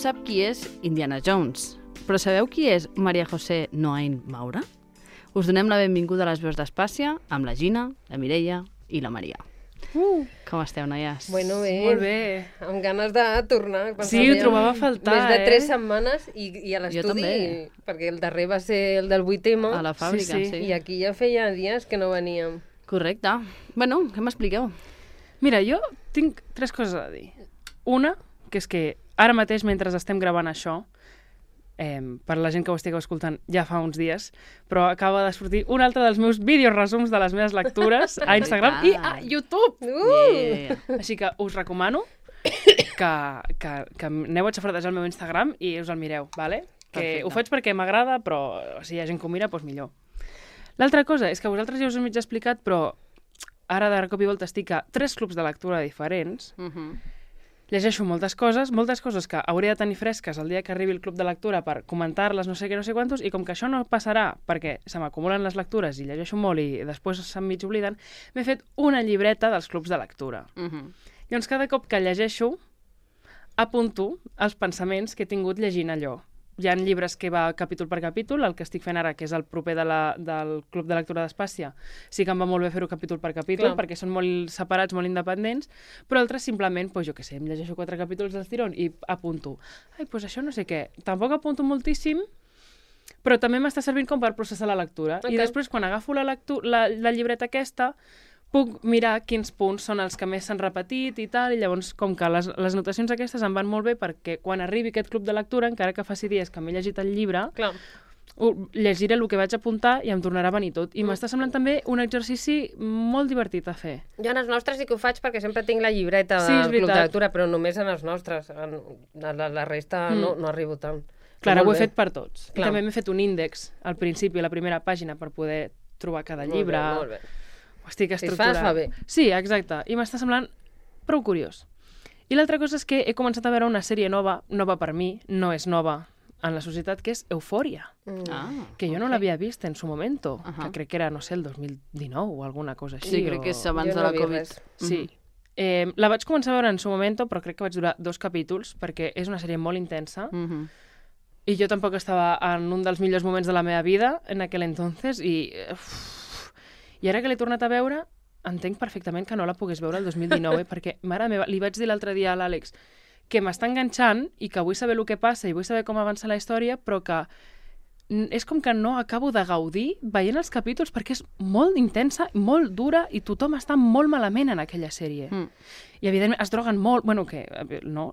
sap qui és Indiana Jones, però sabeu qui és Maria José Noain Maura? Us donem la benvinguda a les veus d'Espàcia amb la Gina, la Mireia i la Maria. Com esteu, noies? Bueno, bé. Molt bé. Amb ganes de tornar. Sí, ho trobava a faltar, Més de 3 setmanes i a Jo l'estudi, també. perquè el darrer va ser el del 8M. A la fàbrica, Sí, sí. sí. I aquí ja feia dies que no veníem. Correcte. Bueno, què m'expliqueu? Mira, jo tinc 3 coses a dir. Una, que és que ara mateix, mentre estem gravant això, per la gent que ho estigueu escoltant ja fa uns dies, però acaba de sortir un altre dels meus vídeos resums de les meves lectures a Instagram i a YouTube. Yeah. Així que us recomano que aneu a xafardejar el meu Instagram i us el mireu, vale? Que Perfecte. ho faig perquè m'agrada, però si hi ha gent que ho mira, doncs millor. L'altra cosa és que vosaltres ja us ho mig explicat, però ara de cop i volta estic a 3 clubs de lectura diferents. Llegeixo moltes coses que hauré de tenir fresques el dia que arribi el club de lectura per comentar-les, no sé què, no sé quantos, i com que això no passarà perquè se m'acumulen les lectures i llegeixo molt i després se'm mig obliden, m'he fet una llibreta dels clubs de lectura. Llavors, cada cop que llegeixo, apunto els pensaments que he tingut llegint allò. Hi ha llibres que va capítol per capítol, el que estic fent ara, que és el proper del Club de Lectura d'Espàcia, sí que em va molt bé fer-ho capítol per capítol, Clar. perquè són molt separats, molt independents, però altres simplement, doncs jo què sé, em llegeixo 4 capítols del tirón i apunto. Ai, doncs això no sé què. Tampoc apunto moltíssim, però també m'està servint com per processar la lectura. Ok. I després, quan agafo la llibreta aquesta, puc mirar quins punts són els que més s'han repetit i tal, i llavors, com que les notacions aquestes em van molt bé perquè quan arribi aquest club de lectura, encara que faci dies que m'he llegit el llibre, Clar. llegiré el que vaig apuntar i em tornarà a venir tot. I m'està semblant també un exercici molt divertit a fer. Jo en els nostres sí que ho faig perquè sempre tinc la llibreta Sí, és del club de veritat. lectura, però només en els nostres. La resta no arribo tant. Clar, Però ho he molt bé. fet per tots. Clar. I també m'he fet un índex al principi, a la primera pàgina, per poder trobar cada llibre. Molt bé. Ho estic Si es estructurant. fa bé. Sí, exacte. I m'està semblant prou curiós. I l'altra cosa és que he començat a veure una sèrie nova per mi, no és nova en la societat, que és Eufòria, que jo no l'havia vist en su momento, que crec que era, no sé, el 2019 o alguna cosa així. Sí, crec que és abans Jo de no la he vist Covid. res. Sí. La vaig començar a veure en su momento, però crec que vaig durar 2 capítols, perquè és una sèrie molt intensa, i jo tampoc estava en un dels millors moments de la meva vida en aquell entonces, i ara que l'he tornat a veure, entenc perfectament que no la pogués veure el 2019, perquè, mare meva, li vaig dir l'altre dia a l'Àlex que m'està enganxant i que vull saber el que passa i vull saber com avança la història, però que és com que no acabo de gaudir veient els capítols perquè és molt intensa, molt dura i tothom està molt malament en aquella sèrie. I, evidentment, es droguen molt... Bueno, que... No,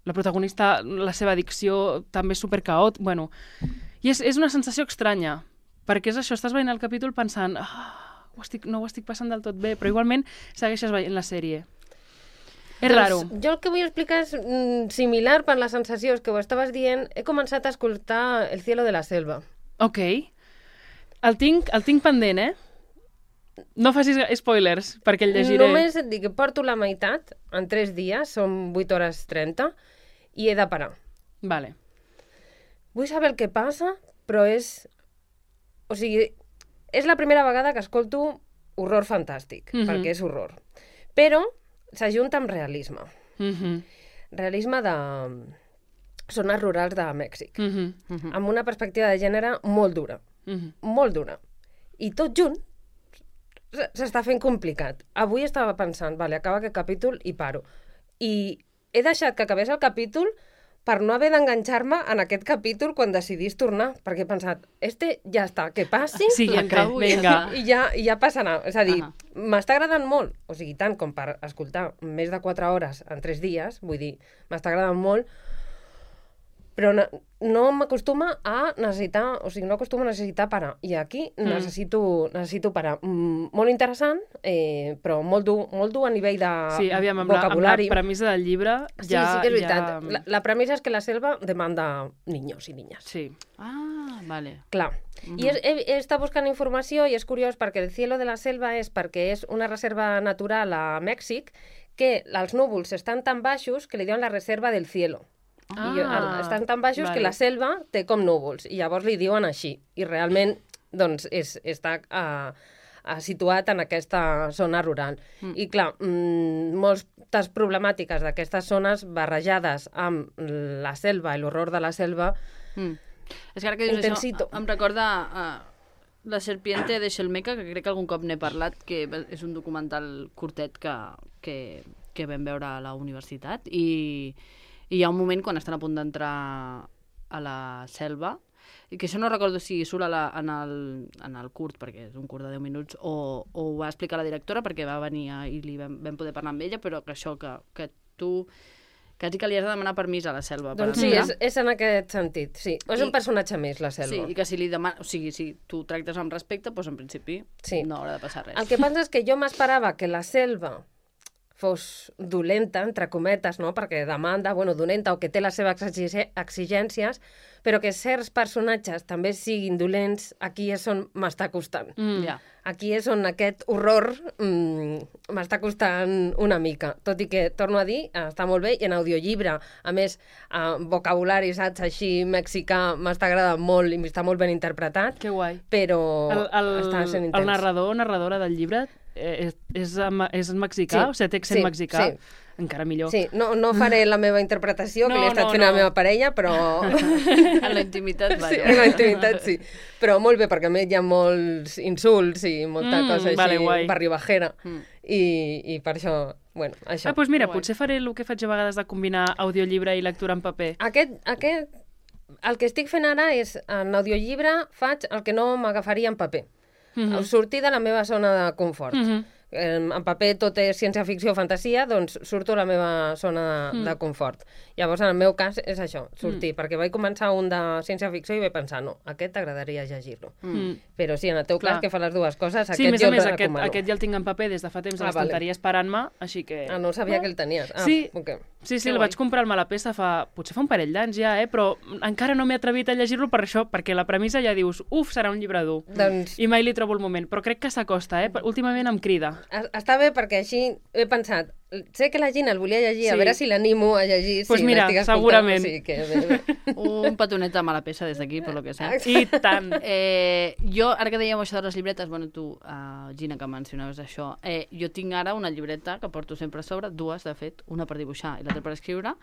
la protagonista, la seva addicció també és supercaòt. Bueno, i és una sensació estranya, perquè és això, estàs veient el capítol pensant no ho estic passant del tot bé, però igualment segueixes veient la sèrie. És raro. Jo el que vull explicar és similar per les sensacions que ho estaves dient. He començat a escoltar El cielo de la selva. Ok. El tinc pendent, eh? No facis spoilers, perquè el llegiré. Només et dic que porto la meitat en 3 dies, són 8 hores 30, i he de parar. Vale. Vull saber el que passa, però és... O sigui, és la primera vegada que escolto horror fantàstic, perquè és horror. Però s'ajunta amb realisme. Realisme de zones rurals de Mèxic. Amb una perspectiva de gènere molt dura. Molt dura. I tot junt s'està fent complicat. Avui estava pensant, vale, acaba aquest capítol i paro. I he deixat que acabés el capítol per no haver d'enganxar-me en aquest capítol quan decidís tornar, perquè he pensat, ja està, que passi, Siguiente, Acabo i vinga. i ja passarà. És a dir, m'està agradant molt, o sigui, tant com per escoltar més de 4 hores en 3 dies, vull dir, m'està agradant molt, però no m'acostuma a necessitar, o sigui, no acostumo a necessitar parar. I aquí necessito parar. Molt interessant, però molt dur a nivell de Sí, aviam, amb vocabulari. la premissa del llibre Sí, ja... sí que és veritat. La premissa és que la selva demanda niños i niñas. Sí. Ah, vale. Clar. I he estat buscant informació i és curiós perquè el cielo de la selva és perquè és una reserva natural a Mèxic que els núvols estan tan baixos que li diuen la reserva del cielo. Estan tan baixos que la selva té com núvols i llavors li diuen així. I realment doncs, està situat en aquesta zona rural. I clar, molts moltes problemàtiques d'aquestes zones barrejades amb la selva i l'horror de la selva. És que ara que dius Intensito. això, em recorda La serpiente de Shelmeca, que crec que algun cop n'he parlat, que és un documental curtet que vam veure a la universitat, i hi ha un moment quan estan a punt d'entrar a la selva, i que això no recordo si surt en el curt, perquè és un curt de 10 minuts, o ho va explicar la directora perquè va venir i vam poder parlar amb ella, però que això, que tu quasi que li has de demanar permís a la selva. Doncs sí, és en aquest sentit, sí. És un personatge més, la selva. Sí, i que si li demana... O sigui, si tu tractes amb respecte, doncs en principi no haurà de passar res. El que passa és que jo m'esperava que la selva fos dolenta, entre cometes, no? Perquè demanda, dolenta, o que té les seves exigències, però que certs personatges també siguin dolents, aquí és on m'està costant. Ja. Aquí és on aquest horror m'està costant una mica. Tot i que, torno a dir, està molt bé, i en audiollibre, a més, vocabulari, saps, així, mexicà, m'està agradant molt i està molt ben interpretat. Que guai. Però està sent intens. El narradora del llibre és mexicà? Sí, o sigui, té accent mexicà? Sí. Encara millor. Sí, no faré la meva interpretació, que li he estat fent a la meva parella, però... En la intimitat, vaja. Sí, en la intimitat, sí. Però molt bé, perquè a més hi ha molts insults i molta cosa així, barribajera. I per això, això. Doncs mira, potser faré el que faig a vegades de combinar audiollibre i lectura en paper. El que estic fent ara és, en audiollibre, faig el que no m'agafaria en paper. Sortir de la meva zona de confort. En paper tot és ciència-ficció o fantasia, doncs surto a la meva zona de confort. Llavors, en el meu cas, és això, sortir, perquè vaig començar un de ciència-ficció i vaig pensar, no, aquest t'agradaria llegir-lo. Però sí, en el teu cas, que fa les dues coses, aquest jo el recomano. Aquest ja el tinc en paper des de fa temps a l'estanteria esperant-me, així que... no sabia que el tenies. Sí, el vaig comprar al Malapesa potser fa un parell d'anys ja, però encara no m'he atrevit a llegir-lo per això, perquè la premissa ja dius, serà un llibre dur. I mai li trobo el moment, però crec que s'acosta, últimament em crida. Està bé perquè així he pensat, sé que la Gina el volia llegir, a veure si l'animo a llegir. Doncs mira, segurament. Un petonet a Malapesa des d'aquí, per lo que sé. I tant. Jo, ara que dèiem això de les llibretes, tu, Gina, que mencionaves això, jo tinc ara una llibreta que porto sempre a sobre, dues, de fet, una per dibuixar i l'altra per escriure,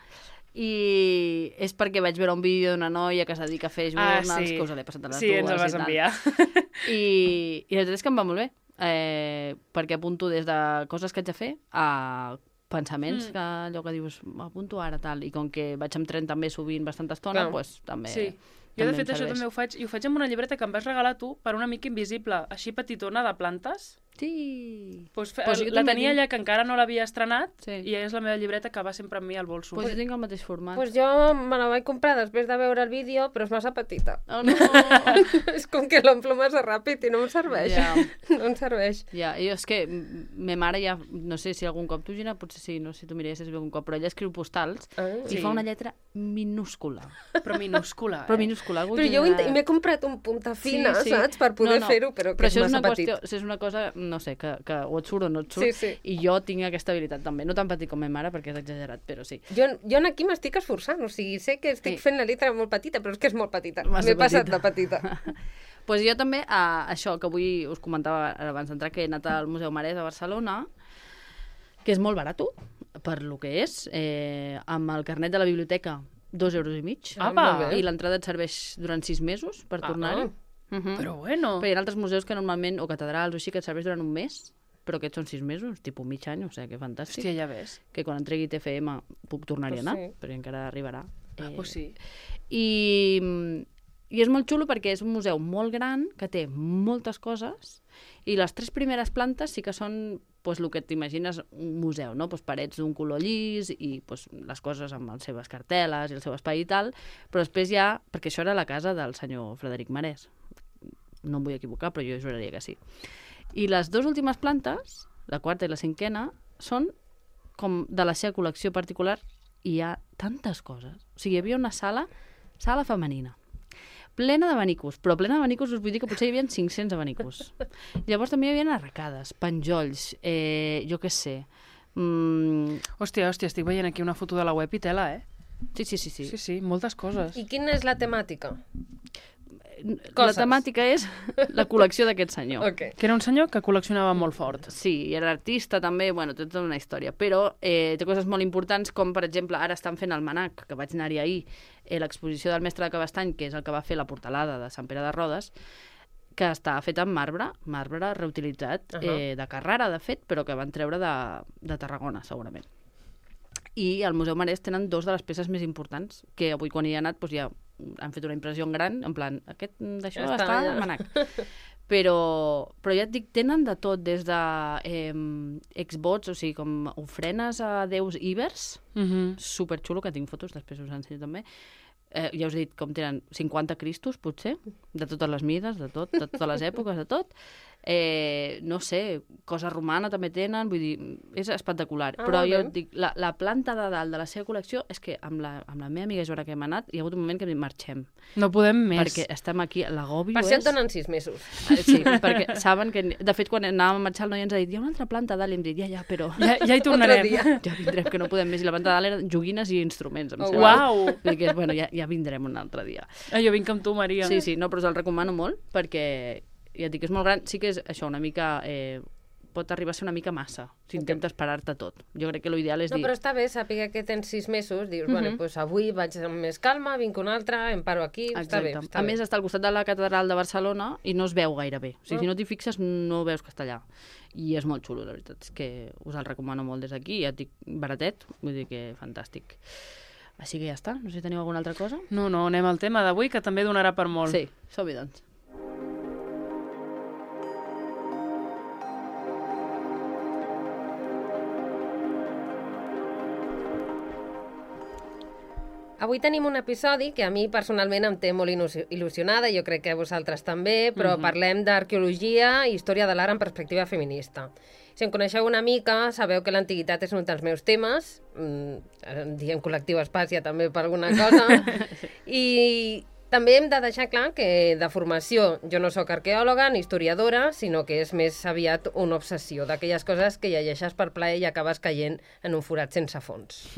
i és perquè vaig veure un vídeo d'una noia que es dedica a fer journals, que us l'he passat a les dues. Sí, ens el vas enviar. I la veritat és que em va molt bé, perquè apunto des de coses que haig de fer a pensaments, que allò que dius, apunto ara, tal, i com que vaig amb tren també sovint bastanta estona, doncs també... Sí. Jo, de fet, això també ho faig, i ho faig amb una llibreta que em vas regalar tu per un amic invisible, així petitona, de plantes. Sí. La tenia allà, que encara no l'havia estrenat, i és la meva llibreta que va sempre amb mi al bolso. Jo tinc el mateix format. Jo me la vaig comprar després de veure el vídeo, però és massa petita. Oh, no! És com que l'omplo massa ràpid i no em serveix. No em serveix. Ja, jo és que ma mare ja, no sé si algun cop tu, Gina, potser sí, no sé si tu miraries algun cop, però ella escriu postals i fa una lletra minúscula. Però minúscula, Però jo m'he comprat un punta fina, saps? Per poder fer-ho, però que és massa petit. Però això és una cosa, no sé, que o et surt o no et surt, i jo tinc aquesta habilitat també. No tan petit com ma mare, perquè és exagerat, però sí. Jo aquí m'estic esforçant, o sigui, sé que estic fent la lletra molt petita, però és que és molt petita. M'he passat de petita. Doncs jo també, això que avui us comentava abans d'entrar, que he anat al Museu Marès a Barcelona, que és molt barat, per lo que és, amb el carnet de la biblioteca, 2,5 €, i l'entrada et serveix durant 6 mesos per tornar-hi. Però bueno. Però hi ha altres museus que normalment, o catedrals o així, que et serveix durant un mes, però aquests són 6 mesos, tipus mig any, o sigui, que fantàstic. Hòstia, ja ves. Que quan entregui TFM puc tornar-hi a anar, però encara arribarà. Pues sí. I és molt xulo perquè és un museu molt gran, que té moltes coses, i les 3 primeres plantes sí que són el que t'imagines un museu, no? Parets d'un color llis i les coses amb les seves cartel·les i el seu espai i tal, però després hi ha... Perquè això era la casa del senyor Frederic Marès. No em vull equivocar, però jo juraria que sí. I les 2 últimes plantes, la quarta i la cinquena, són com de la seva col·lecció particular, i hi ha tantes coses. O sigui, hi havia una sala femenina, plena d'abanicos, però plena d'abanicos us vull dir que potser hi havia 500 abanicos. Llavors també hi havia arracades, penjolls, jo què sé. Hòstia, estic veient aquí una foto de la web i tela, Sí. Sí, moltes coses. I quina és la temàtica? Coses. La temàtica és la col·lecció d'aquest senyor. Ok. Que era un senyor que col·leccionava molt fort. Sí, era artista també, bueno, té tota una història, però té coses molt importants com, per exemple, ara estan fent el Manac, que vaig anar-hi ahir, l'exposició del mestre de Cabestany, que és el que va fer la portalada de Sant Pere de Rodes, que està fet amb marbre reutilitzat, de Carrara, de fet, però que van treure de Tarragona, segurament. I al Museu Marès tenen dos de les peces més importants, que avui quan hi he anat ja han fet una impressió en gran, en plan, d'això Ja està al Manac. Però ja et dic, tenen de tot, des de exvots, o sigui, com ofrenes a déus ibers, superxulo, que tinc fotos, després us ensenyo també. Ja us he dit com tenen 50 cristos, potser, de totes les mides, de totes les èpoques, de tot. No sé, cosa romana també tenen, vull dir, és espectacular. Però jo et dic, la planta de dalt de la seva col·lecció és que amb la meva amiga Joana que hem anat, hi ha hagut un moment que marxem. No podem més. Perquè estem aquí, l'agòbio Per és... això et donen 6 mesos. Sí, perquè saben que... De fet, quan anàvem a marxar, el noi ens ha dit, hi ha una altra planta dalt, i hem dit, ja, però... Ja hi tornarem. Ja vindrem, que no podem més. I la planta de dalt eren joguines i instruments, em sembla. Uau! Vull dir que, bueno, ja vindrem un altre dia. Jo vinc amb tu, Maria. Sí, no, però us el recomano molt, perquè ja et dic, és molt gran. Sí que és això, una mica... pot arribar a ser una mica massa, si intentes parar-te tot. Jo crec que l'ideal és dir... No, però està bé saber que tens 6 mesos, dius, bueno, doncs avui vaig amb més calma, vinc un altre, em paro aquí, està bé. A més, està al costat de la catedral de Barcelona i no es veu gaire bé. O sigui, si no t'hi fixes, no veus que està allà. I és molt xulo, la veritat. És que us el recomano molt des d'aquí. Ja et dic, baratet, vull dir que fantàstic. Així que ja està. No sé si teniu alguna altra cosa. No, anem al tema d'avui, que també donarà per molt. Sí, som-hi, doncs. Avui tenim un episodi que a mi personalment em té molt il·lusionada, jo crec que a vosaltres també, però parlem d'arqueologia i història de l'art en perspectiva feminista. Si em coneixeu una mica, sabeu que l'antiguitat és un dels meus temes, diem col·lectiu Espàcia també per alguna cosa, i també hem de deixar clar que de formació jo no sóc arqueòloga ni historiadora, sinó que és més aviat una obsessió d'aquelles coses que llegeixes per plaer i acabes caient en un forat sense fons.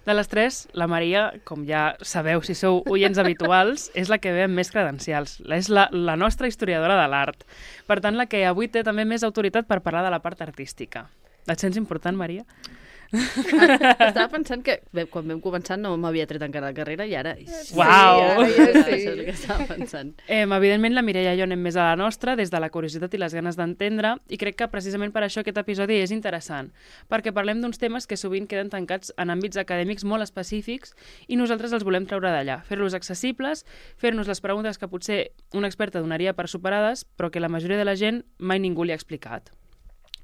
De les tres, la Maria, com ja sabeu si sou oients habituals, és la que ve amb més credencials. És la nostra historiadora de l'art. Per tant, la que avui té també més autoritat per parlar de la part artística. Et sents important, Maria? Estava pensant que quan vam començar no m'havia tret encara la carrera i ara... Uau! Sí, ara ja és el que estava pensant. Evidentment, la Mireia i jo anem més a la nostra, des de la curiositat i les ganes d'entendre, i crec que precisament per això aquest episodi és interessant, perquè parlem d'uns temes que sovint queden tancats en àmbits acadèmics molt específics i nosaltres els volem treure d'allà, fer-los accessibles, fer-nos les preguntes que potser una experta donaria per superades, però que la majoria de la gent mai ningú li ha explicat.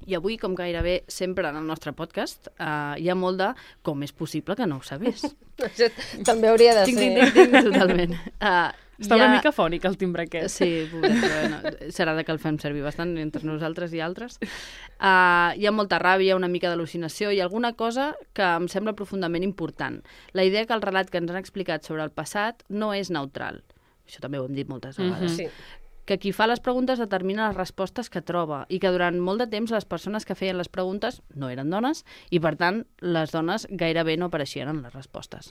I avui, com gairebé sempre en el nostre podcast, hi ha molt de com és possible que no ho sabés. Això també hauria de ser. Tinc, totalment. Està una mica fònic el timbre aquest. Sí, serà que el fem servir bastant entre nosaltres i altres. Hi ha molta ràbia, una mica d'al·lucinació i alguna cosa que em sembla profundament important. La idea que el relat que ens han explicat sobre el passat no és neutral. Això també ho hem dit moltes vegades. Sí. Que qui fa les preguntes determina les respostes que troba i que durant molt de temps les persones que feien les preguntes no eren dones i, per tant, les dones gairebé no apareixien en les respostes.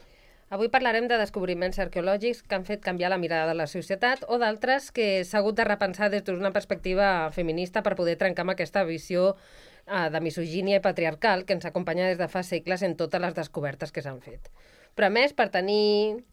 Avui parlarem de descobriments arqueològics que han fet canviar la mirada de la societat o d'altres que s'ha hagut de repensar des d'una perspectiva feminista per poder trencar amb aquesta visió de misogínia i patriarcal que ens acompanya des de fa segles en totes les descobertes que s'han fet. Però, a més, per tenir...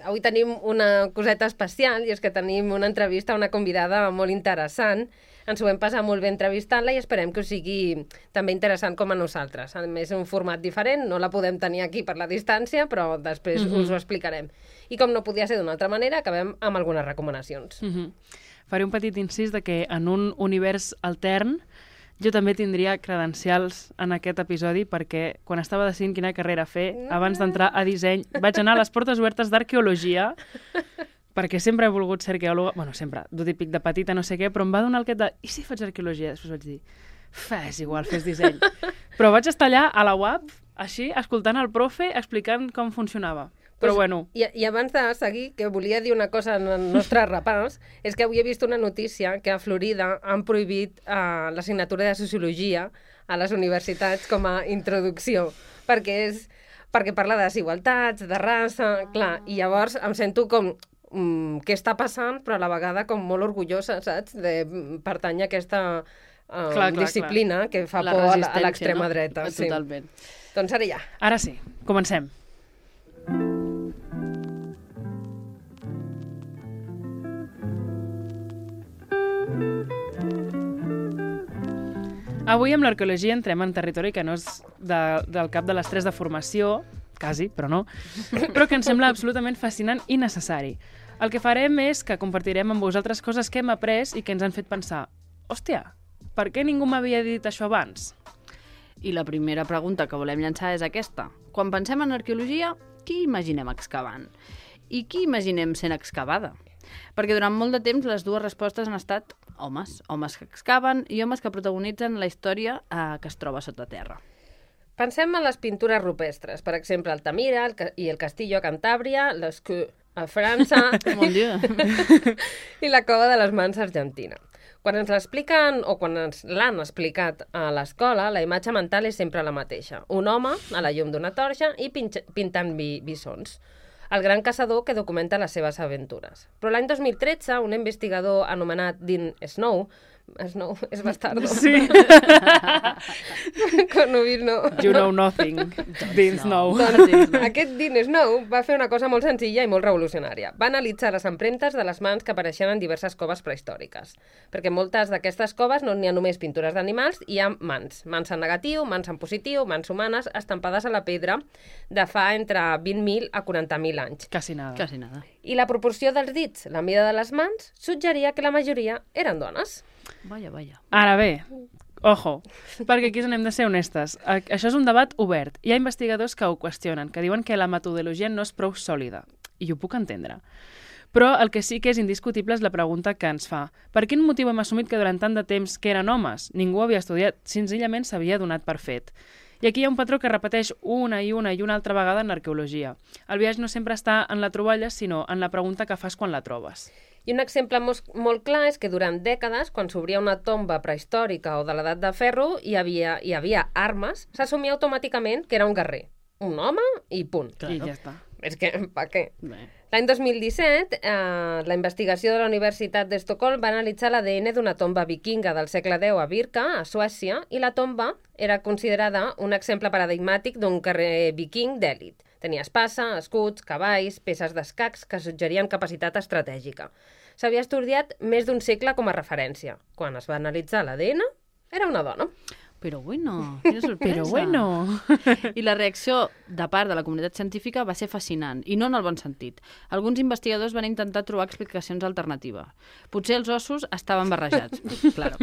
Avui tenim una coseta especial i és que tenim una entrevista a una convidada molt interessant. Ens ho vam passar molt bé entrevistant-la i esperem que us sigui també interessant com a nosaltres. A més, és un format diferent, no la podem tenir aquí per la distància, però després us ho explicarem. I com no podia ser d'una altra manera, acabem amb algunes recomanacions. Faré un petit incís de que en un univers altern jo també tindria credencials en aquest episodi perquè quan estava decidint quina carrera fer, abans d'entrar a disseny, vaig anar a les portes obertes d'arqueologia perquè sempre he volgut ser arqueòloga, bueno, sempre, d'ho típic de petita, no sé què, però em va donar el aquest de, i si faig arqueologia? Després vaig dir, és igual, fes disseny. Però vaig estar allà a la UAP, així, escoltant el profe, explicant com funcionava. Però bueno. I abans de seguir, que volia dir una cosa en el nostre repàs, és que avui he vist una notícia que a Florida han prohibit l'assignatura de Sociologia a les universitats com a introducció, perquè parla de desigualtats, de raça, clar, i llavors em sento com què està passant, però a la vegada com molt orgullosa, saps?, de pertànyer a aquesta disciplina que fa por a l'extrema dreta. Totalment. Doncs ara ja. Ara sí, comencem. Avui amb l'arqueologia entrem en territori que no és del cap de les 3 de formació, quasi, però no, però que ens sembla absolutament fascinant i necessari. El que farem és que compartirem amb vosaltres coses que hem après i que ens han fet pensar hòstia, per què ningú m'havia dit això abans? I la primera pregunta que volem llançar és aquesta. Quan pensem en arqueologia, qui imaginem excavant? I qui imaginem sent excavada? Perquè durant molt de temps les dues respostes han estat homes que excaven i homes que protagonitzen la història que es troba sota terra. Pensem en les pintures rupestres, per exemple, Altamira i el Castillo a Cantàbria, l'Escu a França i la Cova de les Mans a Argentina. Quan ens l'expliquen o quan ens l'han explicat a l'escola, la imatge mental és sempre la mateixa. Un home a la llum d'una torxa i pintant bisons. El gran caçador que documenta les seves aventures. Però l'any 2013, un investigador anomenat Dean Snow és bastardo. Sí. Con Ubir no. You know nothing, Dean Snow. Doncs aquest Dean Snow va fer una cosa molt senzilla i molt revolucionària. Va analitzar les empremtes de les mans que apareixien en diverses coves prehistòriques. Perquè moltes d'aquestes coves no n'hi ha només pintures d'animals, hi ha mans. Mans en negatiu, mans en positiu, mans humanes, estampades a la pedra de fa entre 20.000 a 40.000 anys. Quasi nada. Quasi nada. I la proporció dels dits, la mida de les mans, suggeria que la majoria eren dones. Vaja, vaja. Ara bé, ojo, perquè aquí hem de ser honestes. Això és un debat obert. Hi ha investigadors que ho qüestionen, que diuen que la metodologia no és prou sòlida. I ho puc entendre. Però el que sí que és indiscutible és la pregunta que ens fa. Per quin motiu hem assumit que durant tant de temps que eren homes? Ningú havia estudiat, senzillament s'havia donat per fet. I aquí hi ha un patró que repeteix una i una altra vegada en l'arqueologia. El viatge no sempre està en la troballa, sinó en la pregunta que fas quan la trobes. I un exemple molt clar és que durant dècades, quan s'obria una tomba prehistòrica o de l'edat de ferro i hi havia armes, s'assumia automàticament que era un guerrer. Un home i punt. Claro. I ja està. És que, per què? Bé. L'any 2017, la investigació de la Universitat d'Estocolm va analitzar l'ADN d'una tomba vikinga del segle X a Birka, a Suècia, i la tomba era considerada un exemple paradigmàtic d'un guerrer viking d'èlit. Tenia espasa, escuts, cavalls, peces d'escacs que suggerien capacitat estratègica. S'havia estudiat més d'un segle com a referència. Quan es va analitzar l'ADN, era una dona. Però bueno, quina sorpresa. Però bueno. I la reacció de part de la comunitat científica va ser fascinant, i no en el bon sentit. Alguns investigadors van intentar trobar explicacions alternatives. Potser els ossos estaven barrejats, claro.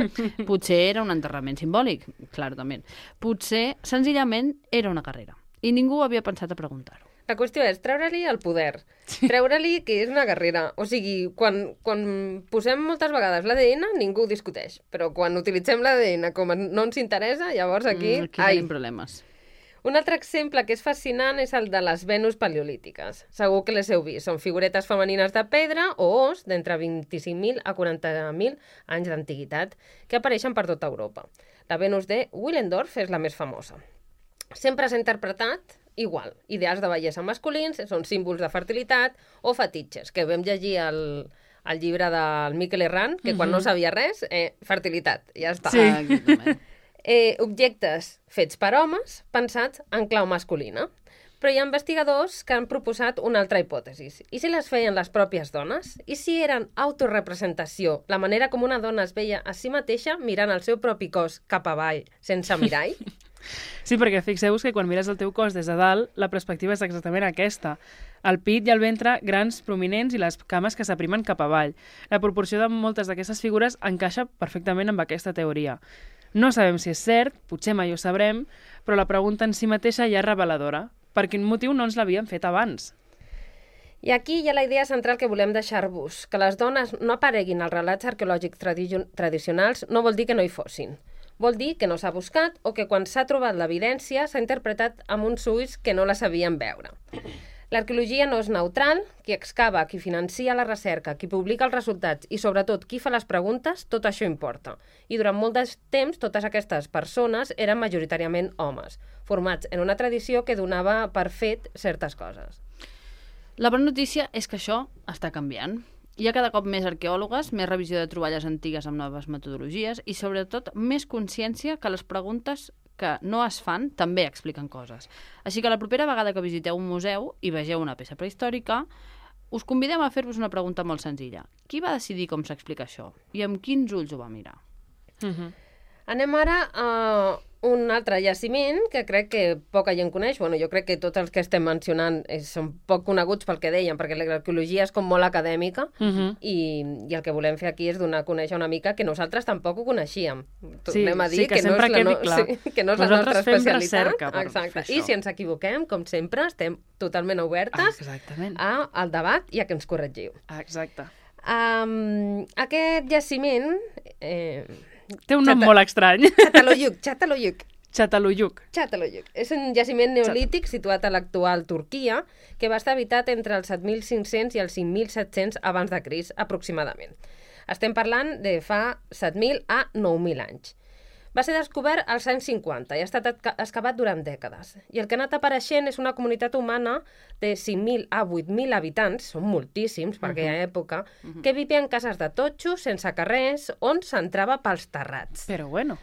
Potser era un enterrament simbòlic, claro, també. Potser, senzillament, era una carrera. I ningú havia pensat a preguntar-ho. La qüestió és treure-li el poder, treure-li que és una guerrera. O sigui, quan posem moltes vegades l'ADN, ningú ho discuteix. Però quan utilitzem l'ADN com no ens interessa, llavors aquí tenim problemes. Un altre exemple que és fascinant és el de les Venus paleolítiques. Segur que les heu vist. Són figuretes femenines de pedra o os d'entre 25.000 a 40.000 anys d'antiguitat que apareixen per tota Europa. La Venus de Willendorf és la més famosa. Sempre s'ha interpretat igual. Ideals de bellesa masculins són símbols de fertilitat o fetitxes, que vam llegir al llibre del Miquel Herrán, que quan no sabia res, fertilitat, ja està. Sí. Objectes fets per homes pensats en clau masculina. Però hi ha investigadors que han proposat una altra hipòtesi. I si les feien les pròpies dones? I si eren autorepresentació, la manera com una dona es veia a si mateixa mirant el seu propi cos cap avall, sense mirall? Sí, perquè fixeu-vos que quan mires el teu cos des de dalt, la perspectiva és exactament aquesta. El pit i el ventre grans, prominents i les cames que s'aprimen cap avall. La proporció de moltes d'aquestes figures encaixa perfectament amb aquesta teoria. No sabem si és cert, potser mai ho sabrem, però la pregunta en si mateixa ja és reveladora. Per quin motiu no ens l'havien fet abans? I aquí hi ha la idea central que volem deixar-vos. Que les dones no apareguin als relats arqueològics tradicionals no vol dir que no hi fossin. Vol dir que no s'ha buscat o que quan s'ha trobat l'evidència s'ha interpretat amb uns ulls que no la sabien veure. L'arqueologia no és neutral, qui excava, qui financia la recerca, qui publica els resultats i sobretot qui fa les preguntes, tot això importa. I durant molt de temps totes aquestes persones eren majoritàriament homes, formats en una tradició que donava per fet certes coses. La bona notícia és que això està canviant. Hi ha cada cop més arqueòlogues, més revisió de troballes antigues amb noves metodologies i, sobretot, més consciència que les preguntes que no es fan també expliquen coses. Així que la propera vegada que visiteu un museu i vegeu una peça prehistòrica, us convidem a fer-vos una pregunta molt senzilla. Qui va decidir com s'explica això? I amb quins ulls ho va mirar? Anem ara a un altre jaciment que crec que poca gent coneix. Bueno, jo crec que tots els que estem mencionant són poc coneguts pel que deien, perquè l'arqueologia és com molt acadèmica i el que volem fer aquí és donar a conèixer una mica que nosaltres tampoc ho coneixíem. Tornem a dir que no és la nostra especialitat. Exacte. I si ens equivoquem, com sempre, estem totalment obertes al debat i a que ens corregiu. Exacte. Aquest jaciment... Té un nom molt estrany. Çatalhöyük. És un jaciment neolític situat a l'actual Turquia que va estar habitat entre els 7.500 i els 5.700 abans de Crist, aproximadament. Estem parlant de fa 7.000 a 9.000 anys. Va ser descobert als anys 50 i ha estat excavat durant dècades. I el que ha anat apareixent és una comunitat humana de 5.000 a 8.000 habitants, són moltíssims per aquella època, que vivia en cases de totxo, sense carrers, on s'entrava pels terrats. Però bueno.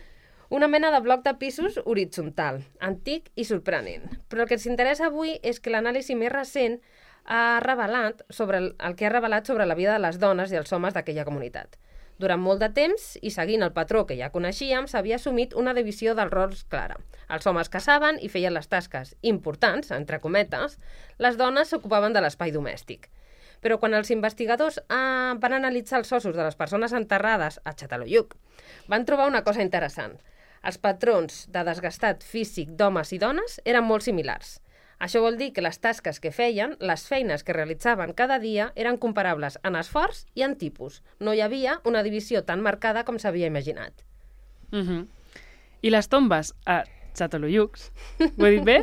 Una mena de bloc de pisos horitzontal, antic i sorprenent. Però el que ens interessa avui és que l'anàlisi més recent ha revelat sobre la vida de les dones i els homes d'aquella comunitat. Durant molt de temps, i seguint el patró que ja coneixíem, s'havia assumit una divisió dels rols clara. Els homes caçaven i feien les tasques importants, entre cometes, les dones s'ocupaven de l'espai domèstic. Però quan els investigadors van analitzar els ossos de les persones enterrades a Çatalhöyük, van trobar una cosa interessant. Els patrons de desgastat físic d'homes i dones eren molt similars. Això vol dir que les tasques que feien, les feines que realitzaven cada dia, eren comparables en esforç i en tipus. No hi havia una divisió tan marcada com s'havia imaginat. I les tombes a Çatalhöyük, ho he dit bé?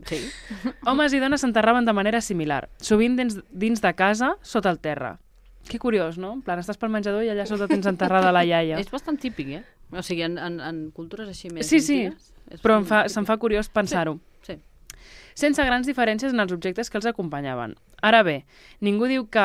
Sí. Homes i dones s'enterraven de manera similar, sovint dins de casa, sota el terra. Que curiós, no? En plan, estàs pel menjador i allà sota tens enterrada la iaia. És bastant típic, O sigui, en cultures així més antigues. Sí, però se'm fa curiós pensar-ho. Sí. Sense grans diferències en els objectes que els acompanyaven. Ara bé, ningú diu que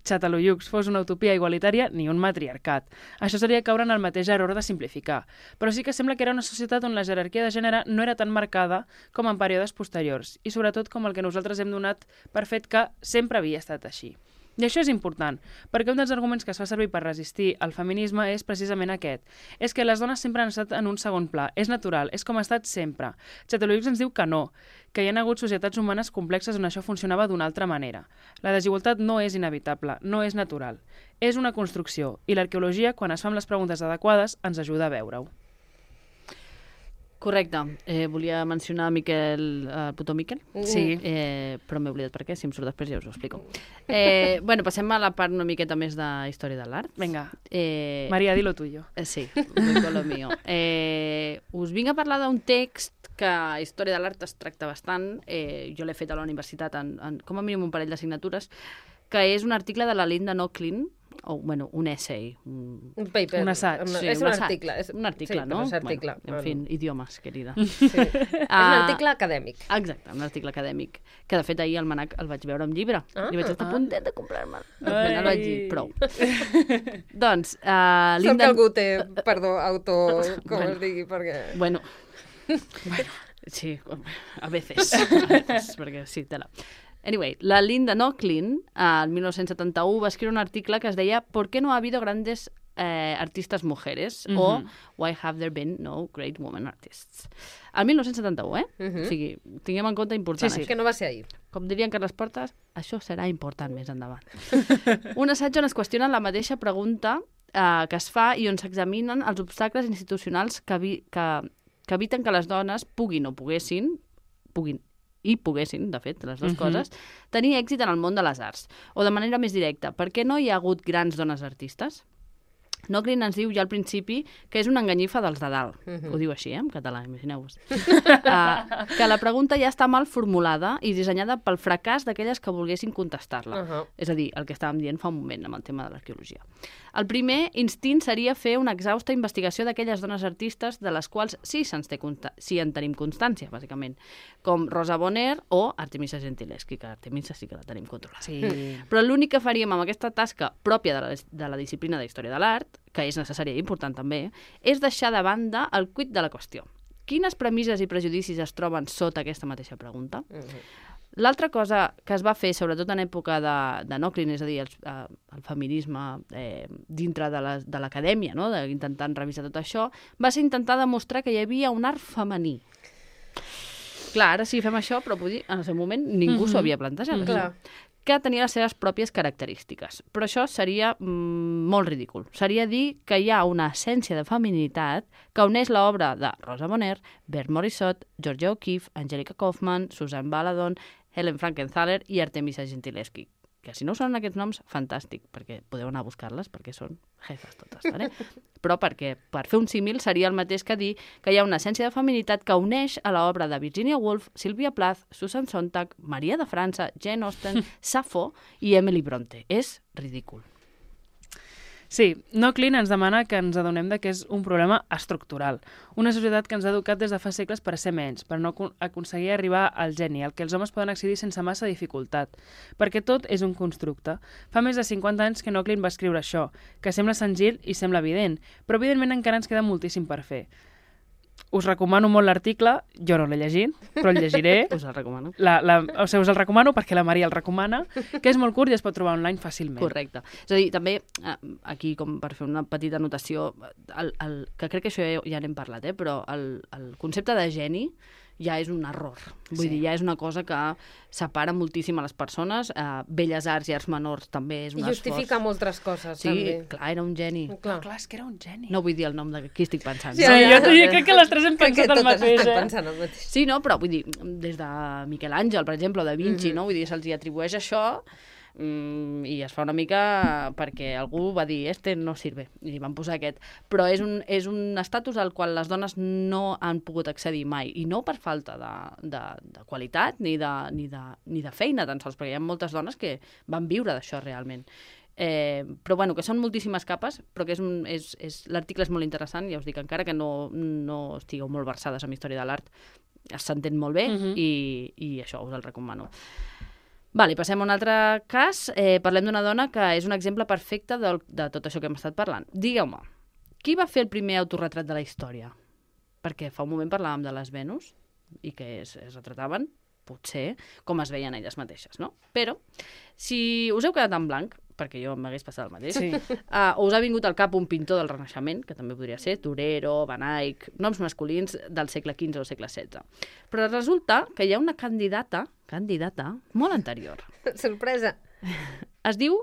Çatalhöyük fos una utopia igualitària ni un matriarcat. Això seria caure en el mateix error de simplificar. Però sí que sembla que era una societat on la jerarquia de gènere no era tan marcada com en períodes posteriors, i sobretot com el que nosaltres hem donat per fet que sempre havia estat així. I això és important, perquè un dels arguments que es fa servir per resistir al feminisme és precisament aquest. És que les dones sempre han estat en un segon pla. És natural, és com ha estat sempre. Çatalhöyük ens diu que no, que hi ha hagut societats humanes complexes on això funcionava d'una altra manera. La desigualtat no és inevitable, no és natural. És una construcció, i l'arqueologia, quan es fan les preguntes adequades, ens ajuda a veure-ho. Correcte. Volia mencionar Potomiquel. Sí. Però m'he oblidat per què, si em surt després ja us ho explico. Passem a la part una miqueta més de història de l'art. Vinga, Maria, di lo tuyo. Sí, lo mío. Us vinc a parlar d'un text que a història de l'art es tracta bastant. Jo l'he fet a la universitat en com a mínim un parell d'assignatures, que és un article de la Linda Nochlin, un essay. Un paper. Un assaig. És un article. Un article, no? És article. En fi, idiomes, querida. Sí. És un article acadèmic. Exacte, un article acadèmic. Que, de fet, ahir al Manac el vaig veure amb llibre. I vaig estar a puntet de comprar-me'l. El vaig dir, prou. Doncs, Linda... Sort que algú té, com es digui, perquè... Bueno, sí, a veces, perquè sí, tela. Anyway, la Linda Nochlin, el 1971, va escriure un article que es deia ¿Por qué no ha habido grandes artistas mujeres? O Why have there been no great women artists? El 1971, O sigui, tinguem en compte important. Sí, que no va ser ahir. Com dirien Carles Portes, això serà important més endavant. Un assaig on es qüestiona la mateixa pregunta que es fa i on s'examinen els obstacles institucionals que eviten que les dones puguin, de fet, les dues coses, tenir èxit en el món de les arts. O de manera més directa, per què no hi ha hagut grans dones artistes? Nochlin ens diu ja al principi que és una enganyifa dels de dalt. Ho diu així, en català, imagineu-vos. Que la pregunta ja està mal formulada i dissenyada pel fracàs d'aquelles que volguessin contestar-la. És a dir, el que estàvem dient fa un moment amb el tema de l'arqueologia. El primer instint seria fer una exhausta investigació d'aquelles dones artistes de les quals sí en tenim constància, bàsicament, com Rosa Bonheur o Artemisa Gentileschi, que Artemisa sí que la tenim controlada. Sí. Però l'únic que faríem amb aquesta tasca pròpia de la disciplina de història de l'art, que és necessària i important també, és deixar de banda el quid de la qüestió. Quines premisses i prejudicis es troben sota aquesta mateixa pregunta? L'altra cosa que es va fer, sobretot en època de Nochlin, és a dir, el feminisme dintre de l'acadèmia, no? Intentant revisar tot això, va ser intentar demostrar que hi havia un art femení. Clar, ara sí fem això, però vull dir, en el seu moment ningú s'ho havia plantejat. Clar. Que tenia les seves pròpies característiques. Però això seria molt ridícul. Seria dir que hi ha una essència de feminitat que uneix l'obra de Rosa Bonheur, Bert Morisot, Georgia O'Keeffe, Angelica Kauffman, Susan Baladon, Helen Frankenthaler i Artemisa Gentileschi. Que si no són aquests noms, fantàstic, perquè podeu anar a buscar-les, perquè són jefes totes, vale? Però perquè, per fer un símil, seria el mateix que dir que hi ha una essència de feminitat que uneix a l'obra de Virginia Woolf, Sylvia Plath, Susan Sontag, Maria de França, Jane Austen, Safo i Emily Bronte. És ridícul. Sí, Nochlin ens demana que ens adonem que és un problema estructural. Una societat que ens ha educat des de fa segles per ser menys, per no aconseguir arribar al geni, al que els homes poden accedir sense massa dificultat. Perquè tot és un constructe. Fa més de 50 anys que Nochlin va escriure això, que sembla senzill i sembla evident, però evidentment encara ens queda moltíssim per fer. Us recomano molt l'article, jo no l'he llegit, però el llegiré. Us el recomano. Us el recomano perquè la Maria el recomana, que és molt curt i es pot trobar online fàcilment. Correcte. És a dir, també, aquí, com per fer una petita anotació, que crec que això ja n'hem parlat, però el concepte de geni ja és un error. Vull dir, ja és una cosa que separa moltíssim a les persones. Belles arts i arts menors també és un esforç. I justifica moltes coses, també. Sí, clar, era un geni. Clar, és que era un geni. No vull dir el nom de qui estic pensant. Sí, jo crec que les tres hem pensat el mateix, pensant el mateix. Sí, no? Però vull dir, des de Miquel Àngel, per exemple, o Da Vinci, no? Vull dir, se'ls hi atribueix això i es fa una mica perquè algú va dir este no sirve, i van posar aquest. Però és un estatus al qual les dones no han pogut accedir mai, i no per falta de qualitat ni de feina tan sols, perquè hi ha moltes dones que van viure d'això realment. Però bueno, que són moltíssimes capes, però que l'article és molt interessant, ja us dic, encara que no estigueu molt versades en història de l'art, s'entén molt bé i això us el recomano. Vale, passem a un altre cas. Parlem d'una dona que és un exemple perfecte de tot això que hem estat parlant. Digueu-me, qui va fer el primer autorretrat de la història? Perquè fa un moment parlàvem de les Venus i que es retrataven, potser, com es veien elles mateixes, no? Però, si us heu quedat en blanc, perquè jo m'hagués passat el mateix, o us ha vingut al cap un pintor del Renaixement, que també podria ser Turero, Van Eyck, noms masculins del segle XV o segle XVI. Però resulta que hi ha una candidata molt anterior. Sorpresa. Es diu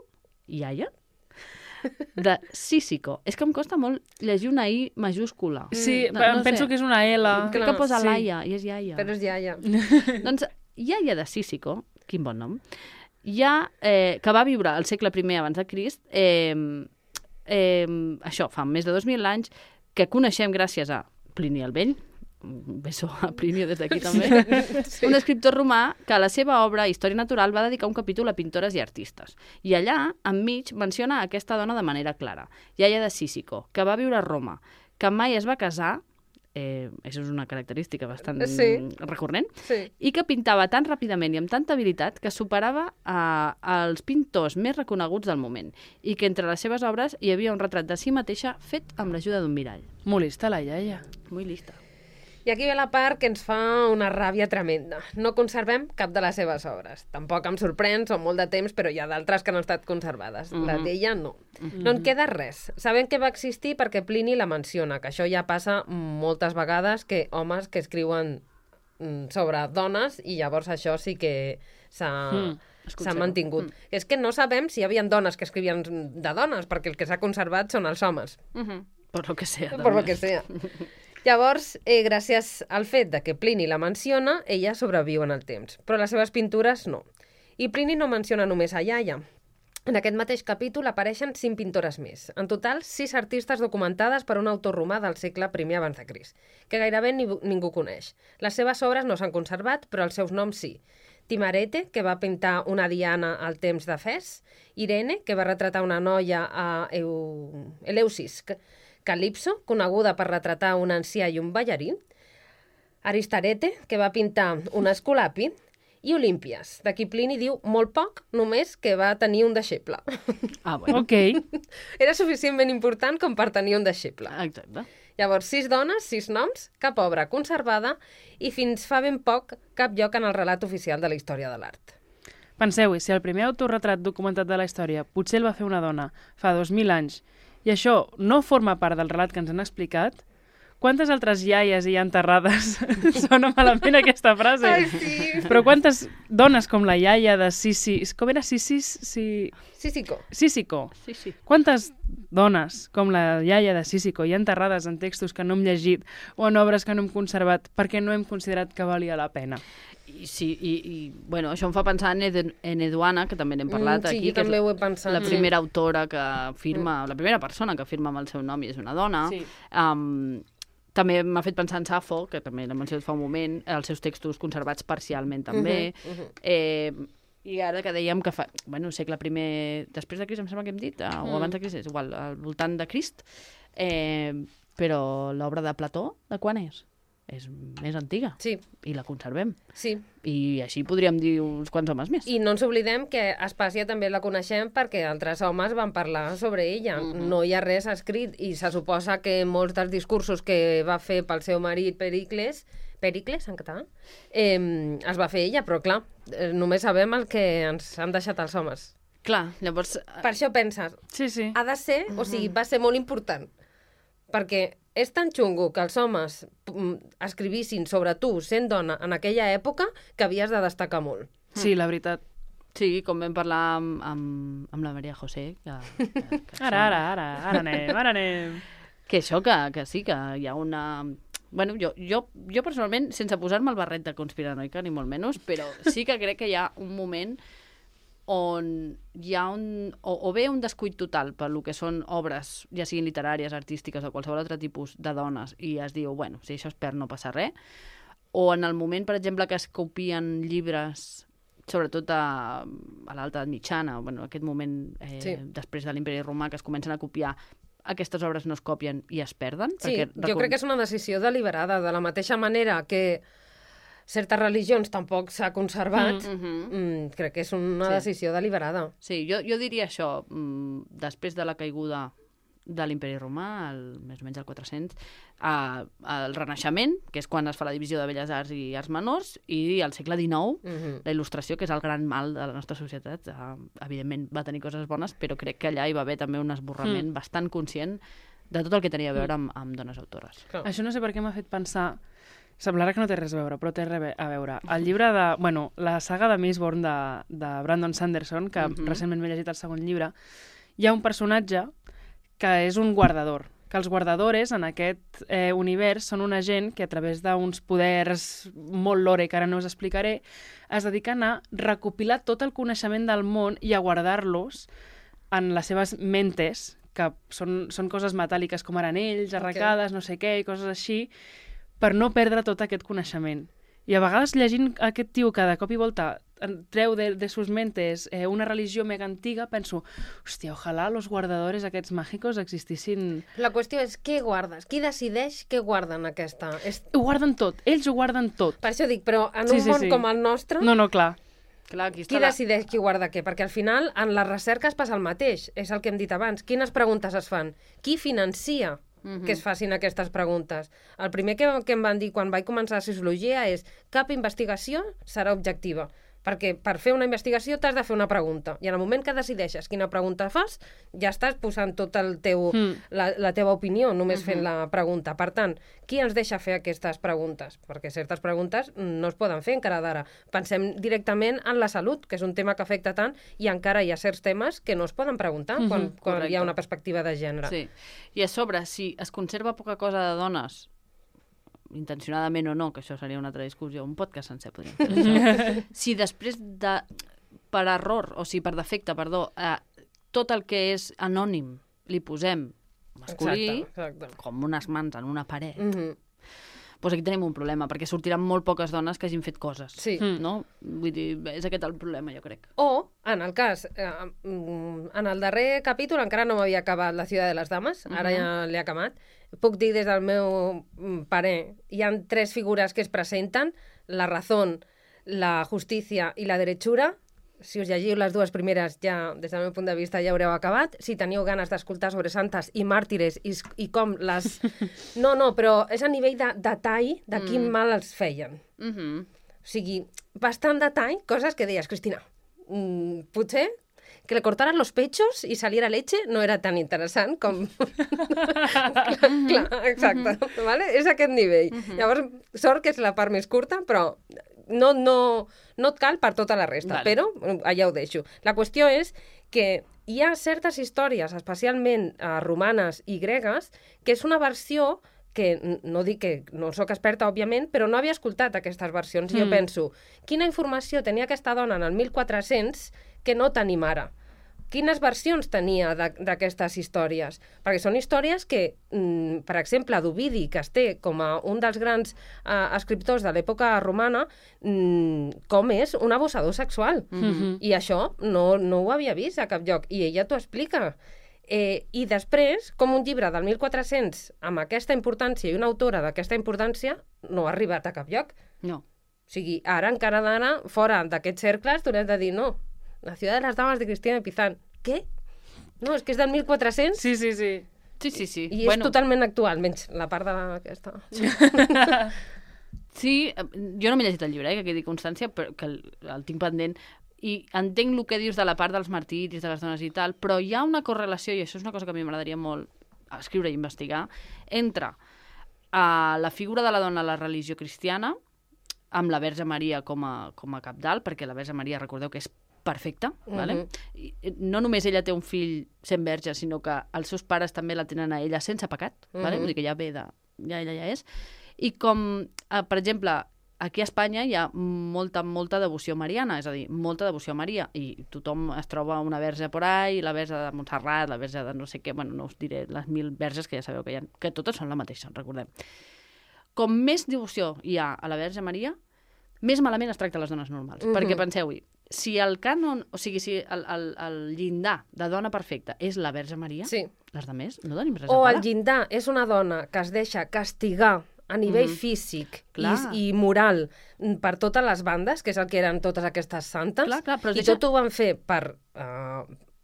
Iaia, de Cícico. És que em costa molt llegir una I majúscula. Sí, no penso que és una L. Crec que posa Laia, i és Iaia. Però és Iaia. Doncs Iaia de Cícico, quin bon nom, que va viure al segle I abans de Crist, això, fa més de 2.000 anys, que coneixem gràcies a Plini el Vell, un beso a Plini des d'aquí també, un escriptor romà que a la seva obra Història Natural va dedicar un capítol a pintores i artistes. I allà, enmig, menciona aquesta dona de manera clara, Iaia de Cícico, que va viure a Roma, que mai es va casar, això és una característica bastant recurrent, i que pintava tan ràpidament i amb tanta habilitat que superava els pintors més reconeguts del moment, i que entre les seves obres hi havia un retrat de si mateixa fet amb l'ajuda d'un mirall. Molt lista, la iaia. Muy lista. I aquí ve la part que ens fa una ràbia tremenda. No conservem cap de les seves obres. Tampoc em sorprèn, són molt de temps, però hi ha d'altres que no han estat conservades. La d'ella no. No en queda res. Sabem que va existir perquè Plini la menciona, que això ja passa moltes vegades, que homes que escriuen sobre dones i llavors això sí que s'ha mantingut. És que no sabem si hi havia dones que escrivien de dones, perquè el que s'ha conservat són els homes. Por lo que sea. Por lo que sea. Llavors, gràcies al fet de que Plini la menciona, ella sobreviu en el temps, però les seves pintures no. I Plini no menciona només a Iaia, En aquest mateix capítol apareixen 5 pintores més. En total, 6 artistes documentades per un autor romà del segle I abans de Crist, que gairebé ningú coneix. Les seves obres no s'han conservat, però els seus noms sí. Timarete, que va pintar una Diana al temps d'Efès, Irene, que va retratar una noia a Eleusis, Calipso, coneguda per retratar un ancià i un ballarí, Aristarete, que va pintar un Esculapi, i Olímpies. D'aquí Plini diu molt poc, només que va tenir un deixeble. Bueno. Ok. Era suficientment important com per tenir un deixeble. Exacte. Llavors, 6 dones, 6 noms, cap obra conservada i fins fa ben poc cap lloc en el relat oficial de la història de l'art. Penseu-hi, si el primer autorretrat documentat de la història potser el va fer una dona fa 2.000 anys i això no forma part del relat que ens han explicat, quantes altres iaies hi ha enterrades? Sona malament aquesta frase. Ai, sí. Però quantes dones com la iaia de Com era Sísico. Sísico. Sí. Quantes dones com la iaia de Sísico hi ha enterrades en textos que no hem llegit o en obres que no hem conservat perquè no hem considerat que valia la pena? I bueno, això em fa pensar en Eduana, que també n'hem parlat sí, aquí, jo també ho he pensat. la primera autora que firma, la primera persona que firma amb el seu nom i és una dona. Sí. També m'ha fet pensar en Safo, que també l'hem mencionat fa un moment, els seus textos conservats parcialment també. I ara que dèiem que segle I, després de Crist, em sembla que hem dit, o abans de Crist, és igual, al voltant de Crist, però l'obra de Plató, de quan és? És més antiga. Sí. I la conservem. Sí. I així podríem dir uns quants homes més. I no ens oblidem que Aspàsia també la coneixem perquè altres homes van parlar sobre ella. No hi ha res escrit i se suposa que molts dels discursos que va fer pel seu marit Pericles en català, es va fer ella, però clar, només sabem el que ens han deixat els homes. Clar, llavors... Per això penses, Sí. ha de ser, o sigui, va ser molt important, perquè és tan xungo que els homes escrivissin sobre tu sent dona en aquella època que havies de destacar molt. Sí, la veritat. Sí, com vam parlar amb la Maria José. Ara anem. Que això, que sí, que hi ha una... Bueno, jo personalment, sense posar-me el barret de conspiranoica, ni molt menys, però sí que crec que hi ha un moment on hi ha o bé un descuit total per lo que són obres, ja siguin literàries, artístiques o qualsevol altre tipus de dones, i es diu, bueno, si això es perd no passa res, o en el moment, per exemple, que es copien llibres, sobretot a l'alta mitjana, bueno, aquest moment després de l'Imperi Romà, que es comencen a copiar, aquestes obres no es copien i es perden. Sí, perquè jo crec que és una decisió deliberada, de la mateixa manera que certes religions tampoc s'ha conservat, crec que és una decisió deliberada. Sí, jo diria això, després de la caiguda de l'Imperi Romà, més o menys al 400, el Renaixement, que és quan es fa la divisió de Belles Arts i Arts Menors, i al segle XIX, la il·lustració, que és el gran mal de la nostra societat. Evidentment va tenir coses bones, però crec que allà hi va haver també un esborrament bastant conscient de tot el que tenia a veure amb dones autores. Això no sé per què m'ha fet pensar. Semblarà que no té res a veure, però té res a veure. El llibre de... Bueno, la saga de Mistborn de Brandon Sanderson, que recentment m'he llegit el segon llibre, hi ha un personatge que és un guardador, que els guardadores en aquest univers són una gent que a través d'uns poders molt lore, que ara no us explicaré, es dediquen a recopilar tot el coneixement del món i a guardar-los en les seves mentes, que són coses metàl·liques com ara anells, arracades, no sé què, i coses així, per no perdre tot aquest coneixement. I a vegades llegint aquest tio que de cop i volta treu de sus mentes una religió mega antiga, penso, hòstia, ojalà los guardadores aquests màgicos existissin... La qüestió és què guardes? Qui decideix què guarden aquesta? Ho guarden tot, ells ho guarden tot. Per això dic, però en un món com el nostre... No, clar. Qui decideix qui guarda què? Perquè al final en les recerques passa el mateix, és el que hem dit abans. Quines preguntes es fan? Qui financia que es facin aquestes preguntes? El primer que em van dir quan vaig començar la sociologia és cap investigació serà objectiva. Perquè per fer una investigació t'has de fer una pregunta. I en el moment que decideixes quina pregunta fas, ja estàs posant tot el teu, la teva opinió, només fent la pregunta. Per tant, qui ens deixa fer aquestes preguntes? Perquè certes preguntes no es poden fer encara d'ara. Pensem directament en la salut, que és un tema que afecta tant, i encara hi ha certs temes que no es poden preguntar quan hi ha una perspectiva de gènere. Sí. I a sobre, si es conserva poca cosa de dones, intencionadament o no, que això seria una altra discussió, un podcast sencer podríem fer això. Si després per error, o sigui, per defecte, perdó, tot el que és anònim li posem masculí, Exacte. com unes mans en una paret, doncs aquí tenim un problema, perquè sortiran molt poques dones que hagin fet coses. Sí. No? Vull dir, és aquest el problema, jo crec. O, en el cas, en el darrer capítol encara no m'havia acabat La ciutat de les dames, ara ja l'he acabat. Puc dir des del meu parer, hi han 3 figures que es presenten, la razón, la justícia i la derechura. Si us llegiu les 2 primeres, ja, des del meu punt de vista, ja haureu acabat. Si teniu ganes d'escoltar sobre santes i màrtires i com les... No, però és a nivell de detall de quin mal els feien. O sigui, bastant detall, coses que deies, Cristina, potser que le cortaran los pechos y saliera leche no era tan interessant com... clar, exacte, vale? És aquest nivell. Llavors, sort que és la part més curta, però no et cal per tota la resta, però allà ho deixo. La qüestió és que hi ha certes històries, especialment romanes i gregues, que és una versió que no dic que no sóc experta, òbviament, però no havia escoltat aquestes versions. I jo penso, quina informació tenia aquesta dona en el 1400 que no tenim ara? Quines versions tenia d'aquestes històries? Perquè són històries que, per exemple, d'Ovidi, que es té com a un dels grans escriptors de l'època romana, com és un abusador sexual. I això no ho havia vist a cap lloc. I ella t'ho explica. I després, com un llibre del 1400 amb aquesta importància i una autora d'aquesta importància no ha arribat a cap lloc. No. O sigui, ara, encara d'ara, fora d'aquests cercles, t'haurem de dir, no, La ciutat de les dames de Cristina de Pizan. Què? No, és que és del 1400. Sí. I és totalment actual, menys la part d'aquesta. Sí, jo no m'he llegit el llibre, que quedi constància, però que el tinc pendent. I entenc el que dius de la part dels martiris, de les dones i tal, però hi ha una correlació, i això és una cosa que a mi m'agradaria molt escriure i investigar, entre la figura de la dona a la religió cristiana amb la Verge Maria com a capdalt, perquè la Verge Maria, recordeu que és perfecta, vale? I no només ella té un fill sent verge, sinó que els seus pares també la tenen a ella sense pecat, vale? Vull dir que ja ve ja ella ja és. I com, per exemple, aquí a Espanya hi ha molta devoció mariana, és a dir, molta devoció a Maria, i tothom es troba una verge por ahí, la verge de Montserrat, la verge de no sé què, bueno, no us diré les 1000 verges que ja sabeu que hi ha, que totes són la mateixa, recordem. Com més devoció hi ha a la Verge Maria, més malament es tracta les dones normals. Perquè penseu-hi, si el cànon, o sigui, si el llindar de dona perfecta és la Verge Maria, les de més no tenim res a o parar. el llindar és una dona que es deixa castigar a nivell físic i moral per totes les bandes, que és el que eren totes aquestes santes, però i tot ho van fer per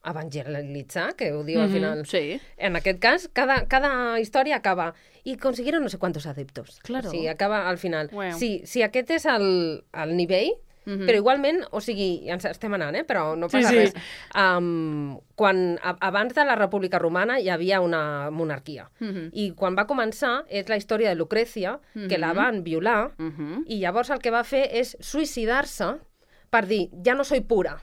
evangelitzar, que ho diu al final. Sí. En aquest cas, cada història acaba i consiguieron no sé quantos adeptos. Claro. Sí, acaba al final. Wow. Si aquest és el nivell, però igualment, o sigui, ens estem anant, però no passa res. Abans de la República Romana hi havia una monarquia. I quan va començar és la història de Lucrècia, que la van violar, i llavors el que va fer és suïcidar-se per dir, ja no soy pura.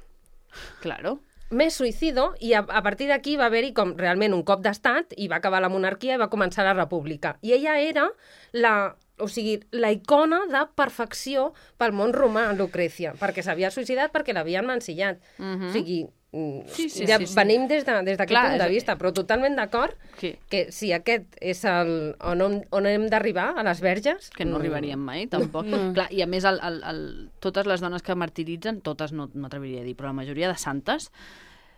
Claro. Me suïcido, i a partir d'aquí va haver-hi com realment un cop d'estat i va acabar la monarquia i va començar la república. I ella era la icona de perfecció pel món romà, Lucrècia, perquè s'havia suïcidat perquè l'havien mancillat. O sigui, venim des d'aquest punt de vista, però totalment d'acord que si aquest és on hem d'arribar, a les verges... Que no arribaríem mai, tampoc. Clar, i a més, totes les dones que martiritzen, totes no m'atreviria a dir, però la majoria de santes,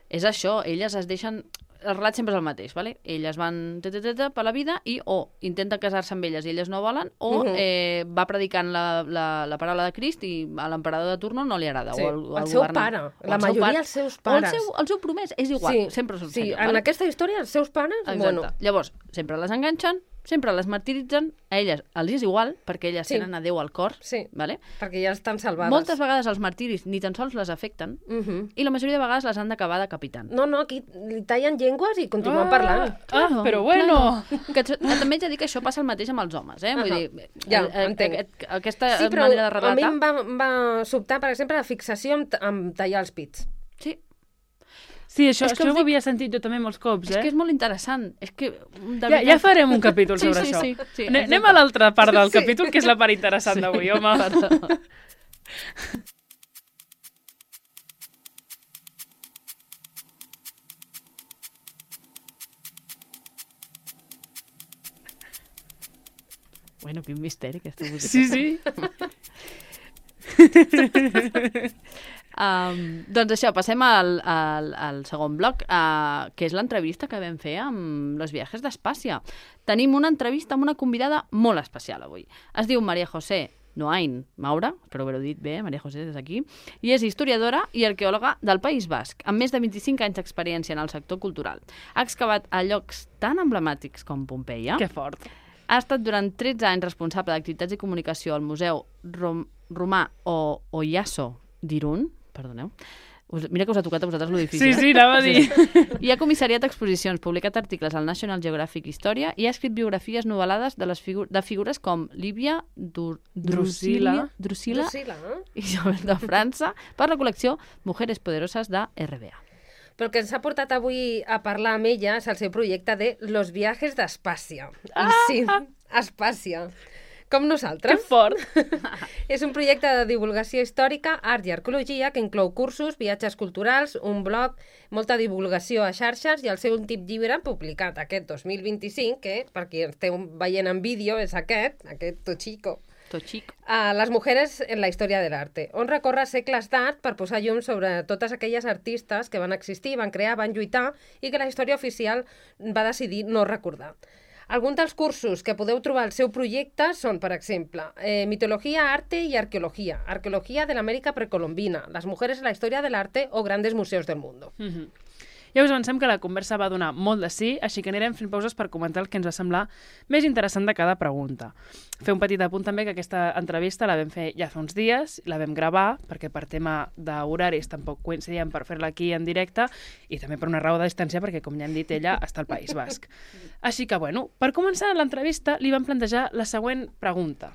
és això, elles es deixen... El relat sempre és el mateix, ¿vale? Elles van per la vida i o intenten casar-se amb elles i elles no volen, o va predicant la paraula de Crist i a l'emperador de turno no li agrada. Sí. O el seu pare. La majoria els seus pares. O el seu promès, és igual, sempre són senyor. En aquesta història, els seus pares... Exacte. Llavors, sempre les enganxen, sempre les martiritzen, a elles els és igual, perquè elles tenen a Déu al cor, vale? Perquè ja estan salvades. Moltes vegades els martiris ni tan sols les afecten, i la majoria de vegades les han d'acabar decapitant. No, aquí li tallen llengües i continuen parlant. Però bueno! Que també haig de dir que això passa el mateix amb els homes, Vull dir, ja, entenc. Aquesta manera de relatar... A mi em va sobtar, per exemple, la fixació amb tallar els pits. Sí. Sí, això ho havia sentit jo també molts cops, És que és molt interessant. És que, ja farem un capítol sobre això. Sí, anem a l'altra part del capítol, que és la part interessant d'avui, home. Bueno, quin misteri, aquesta música. Sí, sí. Doncs això, passem al segon bloc, que és l'entrevista que vam fer amb Los Viajes d'Espàcia. Tenim una entrevista amb una convidada molt especial avui. Es diu María José Noain Maura, espero haver-ho dit bé, María José, des d'aquí, i és historiadora i arqueòloga del País Basc, amb més de 25 anys d'experiència en el sector cultural. Ha excavat a llocs tan emblemàtics com Pompeia. Que fort. Ha estat durant 13 anys responsable d'activitats i comunicació al Museu Romà o Oyaso d'Irun. Perdoneu. Mira que us ha tocat a vosaltres lo difícil. Sí, anava a dir. I ha comissariat exposicions, publicat articles al National Geographic Història i ha escrit biografies novel·lades de figures com Lívia Drusila i Isabel de França per la col·lecció Mujeres Poderosas de RBA. Però el que ens ha portat avui a parlar amb ella és el seu projecte de Los Viajes d'Espàcia. I sí, Espàcia. Com nosaltres. Que fort! És un projecte de divulgació històrica, art i arqueologia que inclou cursos, viatges culturals, un blog, molta divulgació a xarxes i el seu últim llibre publicat aquest 2025, que per qui esteu veient en vídeo és aquest Tochico. Les mujeres en la història de l'arte, on recorre segles d'art per posar llum sobre totes aquelles artistes que van existir, van crear, van lluitar i que la història oficial va decidir no recordar. Alguns dels cursos que podeu trobar al seu projecte són, per exemple, Mitologia, Arte i Arqueologia, Arqueologia de l'Amèrica precolombina, Les mujeres en la història de l'arte o Grandes museos del mundo. Ja us avancem que la conversa va donar molt de sí, així que anirem fent pauses per comentar el que ens va semblar més interessant de cada pregunta. Fer un petit apunt també que aquesta entrevista la vam fer ja fa uns dies, la vam gravar, perquè per tema d'horaris tampoc coincidíem per fer-la aquí en directe, i també per una raó de distància, perquè, com ja hem dit, ella està al País Basc. Així que, bueno, per començar l'entrevista li vam plantejar la següent pregunta.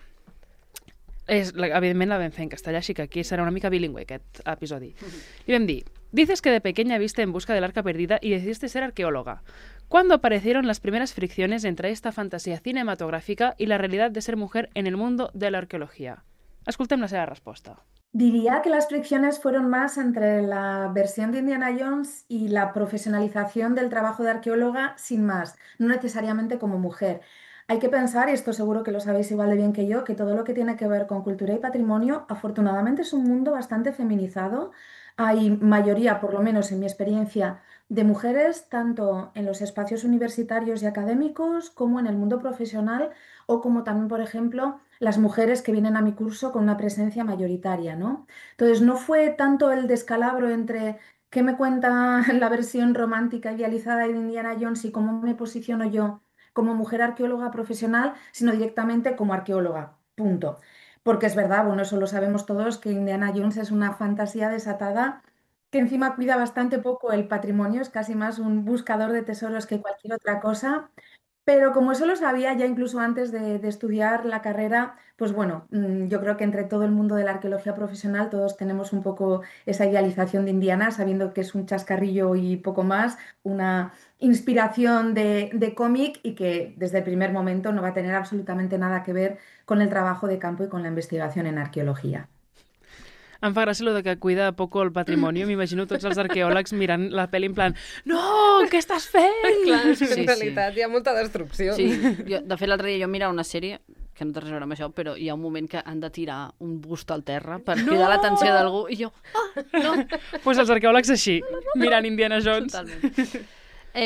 Evidentment la vam fer en castellà, així que aquí serà una mica bilingüe aquest episodi. Li vam dir: dices que de pequeña viste En busca del arca perdida y decidiste ser arqueóloga. ¿Cuándo aparecieron las primeras fricciones entre esta fantasía cinematográfica y la realidad de ser mujer en el mundo de la arqueología? Escoltem la seva resposta. Diría que las fricciones fueron más entre la versión de Indiana Jones y la profesionalización del trabajo de arqueóloga sin más, no necesariamente como mujer. Hay que pensar, y esto seguro que lo sabéis igual de bien que yo, que todo lo que tiene que ver con cultura y patrimonio, afortunadamente es un mundo bastante feminizado. Hay mayoría, por lo menos en mi experiencia, de mujeres, tanto en los espacios universitarios y académicos como en el mundo profesional, o como también, por ejemplo, las mujeres que vienen a mi curso con una presencia mayoritaria, ¿no? Entonces, no fue tanto el descalabro entre qué me cuenta la versión romántica idealizada de Indiana Jones y cómo me posiciono yo como mujer arqueóloga profesional, sino directamente como arqueóloga, punto. Porque es verdad, bueno, eso lo sabemos todos, que Indiana Jones es una fantasía desatada que encima cuida bastante poco el patrimonio, es casi más un buscador de tesoros que cualquier otra cosa. Pero como eso lo sabía ya incluso antes de estudiar la carrera, pues bueno, yo creo que entre todo el mundo de la arqueología profesional todos tenemos un poco esa idealización de Indiana, sabiendo que es un chascarrillo y poco más, una inspiración de cómic y que desde el primer momento no va a tener absolutamente nada que ver con el trabajo de campo y con la investigación en arqueología. Em fa gràcia que cuida poco el patrimoni. M'imagino tots els arqueòlegs mirant la pel·li en plan no, què estàs fent? Clar, en realitat hi ha molta destrucció. Sí, de fet l'altre dia jo mirava una sèrie que no té res a veure amb això, però hi ha un moment que han de tirar un bust al terra per cridar l'atenció d'algú i jo, no. Pues els arqueòlegs així, mirant Indiana Jones. Totalment.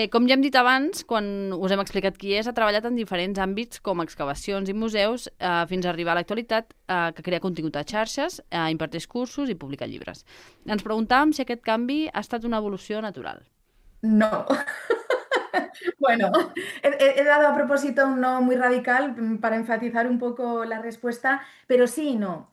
Com ja hem dit abans, quan us hem explicat qui és, ha treballat en diferents àmbits com excavacions i museus fins a arribar a l'actualitat, que crea contingut a xarxes, imparteix cursos i publica llibres. Ens preguntàvem si aquest canvi ha estat una evolució natural. No. Bueno, he dado a propósito un no muy radical para enfatizar un poco la respuesta, pero sí y no.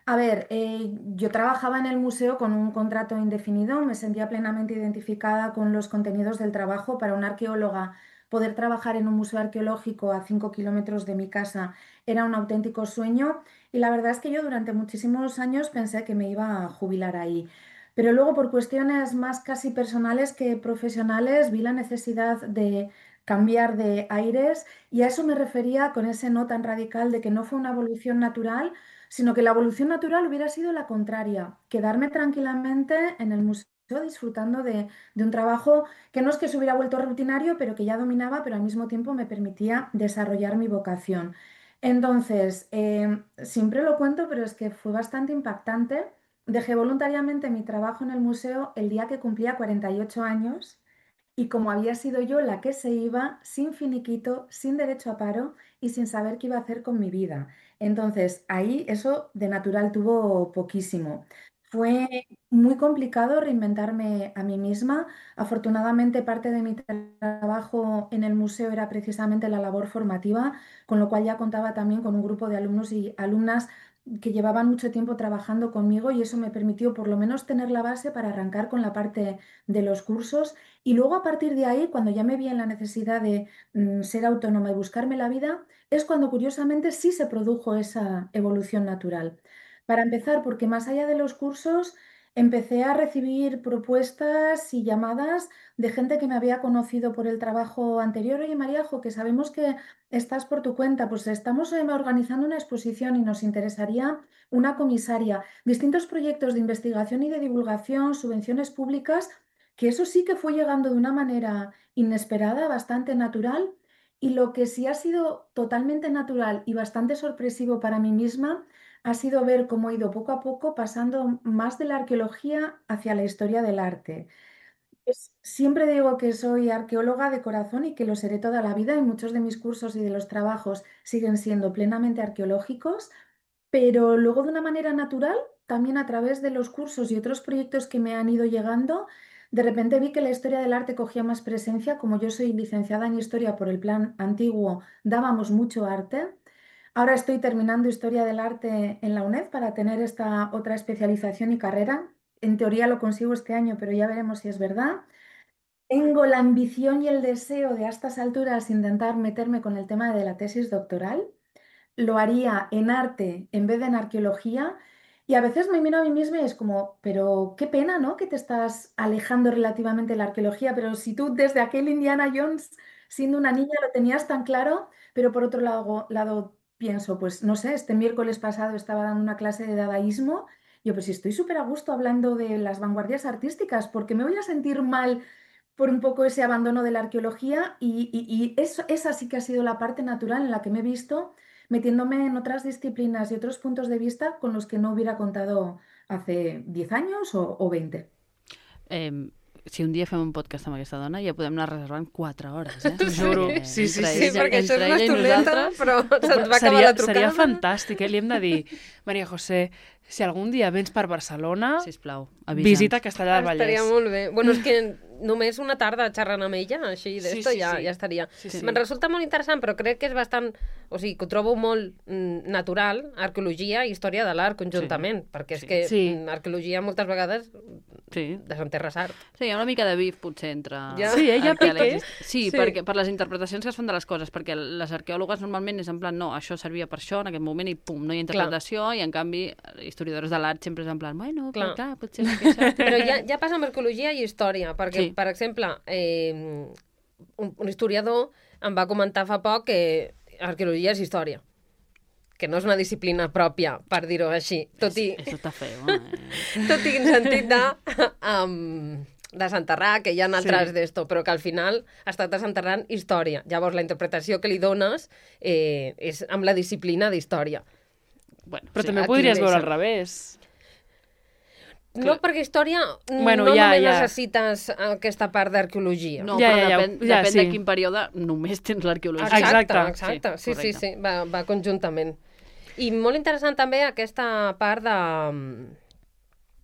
A ver, yo trabajaba en el museo con un contrato indefinido, me sentía plenamente identificada con los contenidos del trabajo. Para una arqueóloga, poder trabajar en un museo arqueológico a 5 kilómetros de mi casa era un auténtico sueño y la verdad es que yo durante muchísimos años pensé que me iba a jubilar ahí. Pero luego, por cuestiones más casi personales que profesionales, vi la necesidad de cambiar de aires y a eso me refería con ese no tan radical de que no fue una evolución natural, sino que la evolución natural hubiera sido la contraria, quedarme tranquilamente en el museo disfrutando de un trabajo que no es que se hubiera vuelto rutinario, pero que ya dominaba, pero al mismo tiempo me permitía desarrollar mi vocación. Entonces, siempre lo cuento, pero es que fue bastante impactante. Dejé voluntariamente mi trabajo en el museo el día que cumplía 48 años y como había sido yo la que se iba, sin finiquito, sin derecho a paro y sin saber qué iba a hacer con mi vida. Entonces, ahí eso de natural tuvo poquísimo. Fue muy complicado reinventarme a mí misma. Afortunadamente, parte de mi trabajo en el museo era precisamente la labor formativa, con lo cual ya contaba también con un grupo de alumnos y alumnas que llevaban mucho tiempo trabajando conmigo y eso me permitió por lo menos tener la base para arrancar con la parte de los cursos y luego a partir de ahí, cuando ya me vi en la necesidad de ser autónoma y buscarme la vida, es cuando curiosamente sí se produjo esa evolución natural. Para empezar, porque más allá de los cursos, empecé a recibir propuestas y llamadas de gente que me había conocido por el trabajo anterior. Oye, Maríajo, que sabemos que estás por tu cuenta, pues estamos organizando una exposición y nos interesaría una comisaria, distintos proyectos de investigación y de divulgación, subvenciones públicas que eso sí que fue llegando de una manera inesperada, bastante natural, y lo que sí ha sido totalmente natural y bastante sorpresivo para mí misma ha sido ver cómo he ido poco a poco pasando más de la arqueología hacia la historia del arte. Siempre digo que soy arqueóloga de corazón y que lo seré toda la vida y muchos de mis cursos y de los trabajos siguen siendo plenamente arqueológicos, pero luego de una manera natural, también a través de los cursos y otros proyectos que me han ido llegando, de repente vi que la historia del arte cogía más presencia. Como yo soy licenciada en historia por el plan antiguo, dábamos mucho arte. Ahora estoy terminando historia del arte en la UNED para tener esta otra especialización y carrera. En teoría lo consigo este año, pero ya veremos si es verdad. Tengo la ambición y el deseo de a estas alturas intentar meterme con el tema de la tesis doctoral. Lo haría en arte en vez de en arqueología. Y a veces me miro a mí misma y es como, pero qué pena, ¿no? Que te estás alejando relativamente de la arqueología, pero si tú desde aquel Indiana Jones, siendo una niña, lo tenías tan claro, pero por otro lado pienso, pues no sé, este miércoles pasado estaba dando una clase de dadaísmo. Yo, pues si estoy súper a gusto hablando de las vanguardias artísticas, porque me voy a sentir mal por un poco ese abandono de la arqueología y eso, esa sí que ha sido la parte natural en la que me he visto metiéndome en otras disciplinas y otros puntos de vista con los que no hubiera contado hace 10 años o 20. Si un dia fem un podcast amb aquesta dona, ja podem anar reservant 4 hores, eh? T'ho juro. Sí, Sí, perquè això és una ella i estoneta, nosaltres. però se'ns va acabar la trucada. Seria fantàstic, eh? Li hem de dir, Maria José, si algun dia vens per Barcelona, Sisplau, avisa'ns. visita Castellar del Vallès. Estaria molt bé. Bueno, és que només una tarda xerrant amb ella, així d'esto, ja estaria. Sí, sí. Me'n resulta molt interessant, però crec que és bastant... O sigui, que ho trobo molt natural, arqueologia i història de l'art conjuntament, perquè és que arqueologia moltes vegades desenterres art. Sí, hi ha una mica de bif, potser, entre... Ja. Sí, ella pique. Sí, perquè per les interpretacions que es fan de les coses, perquè les arqueòlogues normalment és en plan, no, això servia per això en aquest moment i pum, no hi ha interpretació, i en canvi, historiadors de l'art sempre és en plan, bueno, clar potser és que això... Però ja passa amb arqueologia i història, perquè, per exemple, un historiador em va comentar fa poc que arqueologia és història, que no és una disciplina pròpia, per dir-ho així. Tot i... Això està feo, Tot i en sentit de desenterrar, que hi ha altres d'esto, però que al final estàs desenterrant història. Llavors, la interpretació que li dones és amb la disciplina d'història. Bueno, però també podries veure al revés. No, perquè història bueno, no només necessites aquesta part d'arqueologia. No, però depèn de quin període només tens l'arqueologia. Exacte. Sí, va conjuntament. I molt interessant també aquesta part de...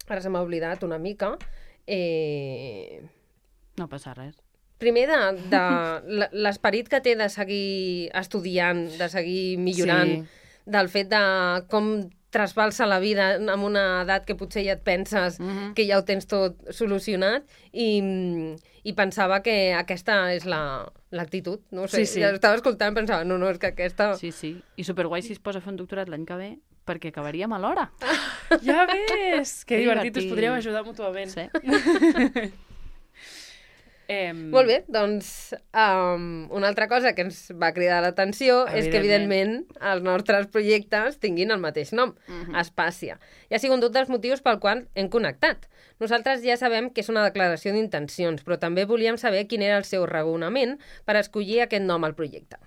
Ara se m'ha oblidat una mica. No passa res. Primer, de l'esperit que té de seguir estudiant, de seguir millorant, del fet de com trasbalsa la vida en una edat que potser ja et penses que ja ho tens tot solucionat i pensava que aquesta és l'actitud. No sé, ja estava escoltant i pensava, no, és que aquesta... Sí, i superguai si es posa a fer un doctorat l'any que ve perquè acabaríem a l'hora. Ja ves! Que divertit, us podríem ajudar mútuament. Sí. Molt bé, doncs una altra cosa que ens va cridar l'atenció és que, evidentment, els nostres projectes tinguin el mateix nom, Espàcia. I ha sigut un dels motius pel qual hem connectat. Nosaltres ja sabem que és una declaració d'intencions, però també volíem saber quin era el seu raonament per escollir aquest nom al projecte.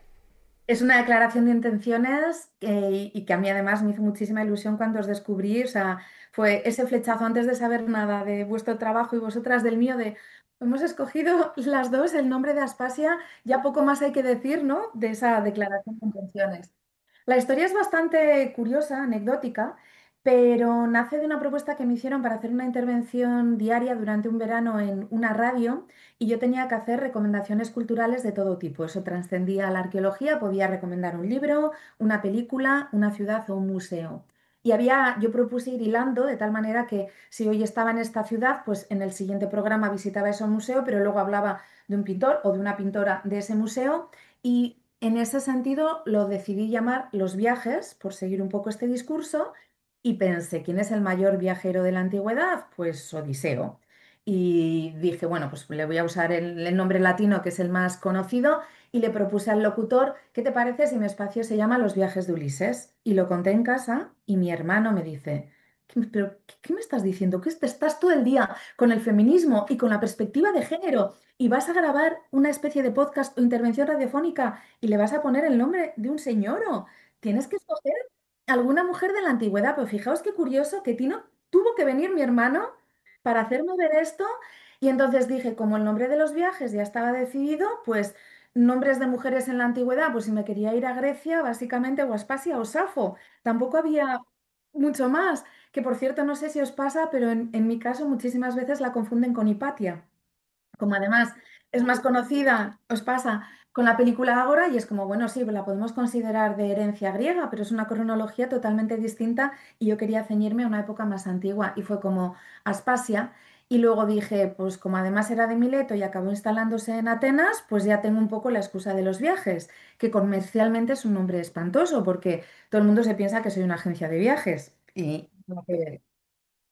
Es una declaración de intenciones y que a mí además me hizo muchísima ilusión cuando os descubrí. O sea, fue ese flechazo antes de saber nada de vuestro trabajo y vosotras del mío de hemos escogido las dos el nombre de Aspasia, ya poco más hay que decir, ¿no? De esa declaración de intenciones. La historia es bastante curiosa, anecdótica, pero nace de una propuesta que me hicieron para hacer una intervención diaria durante un verano en una radio y yo tenía que hacer recomendaciones culturales de todo tipo. Eso trascendía a la arqueología, podía recomendar un libro, una película, una ciudad o un museo. Yo propuse ir hilando de tal manera que si hoy estaba en esta ciudad, pues en el siguiente programa visitaba ese museo, pero luego hablaba de un pintor o de una pintora de ese museo y en ese sentido lo decidí llamar Los viajes, por seguir un poco este discurso, y pensé, ¿quién es el mayor viajero de la antigüedad? Pues Odiseo. Y dije, bueno, pues le voy a usar el nombre latino, que es el más conocido, y le propuse al locutor, ¿qué te parece si mi espacio se llama Los viajes de Ulises? Y lo conté en casa y mi hermano me dice, ¿Qué me estás diciendo? ¿Que estás todo el día con el feminismo y con la perspectiva de género y vas a grabar una especie de podcast o intervención radiofónica y le vas a poner el nombre de un señor? Tienes que escoger alguna mujer de la antigüedad? Pues fijaos qué curioso que tuvo que venir mi hermano para hacerme ver esto y entonces dije, como el nombre de los viajes ya estaba decidido, pues nombres de mujeres en la antigüedad, pues si me quería ir a Grecia, básicamente o a Aspasia o Safo. Tampoco había mucho más, que por cierto no sé si os pasa, pero en mi caso muchísimas veces la confunden con Hipatia. Como además es más conocida, os pasa con la película Ágora y es como, bueno, sí, la podemos considerar de herencia griega, pero es una cronología totalmente distinta y yo quería ceñirme a una época más antigua y fue como Aspasia. Y luego dije, pues como además era de Mileto y acabó instalándose en Atenas, pues ya tengo un poco la excusa de los viajes, que comercialmente es un nombre espantoso porque todo el mundo se piensa que soy una agencia de viajes y no que ver.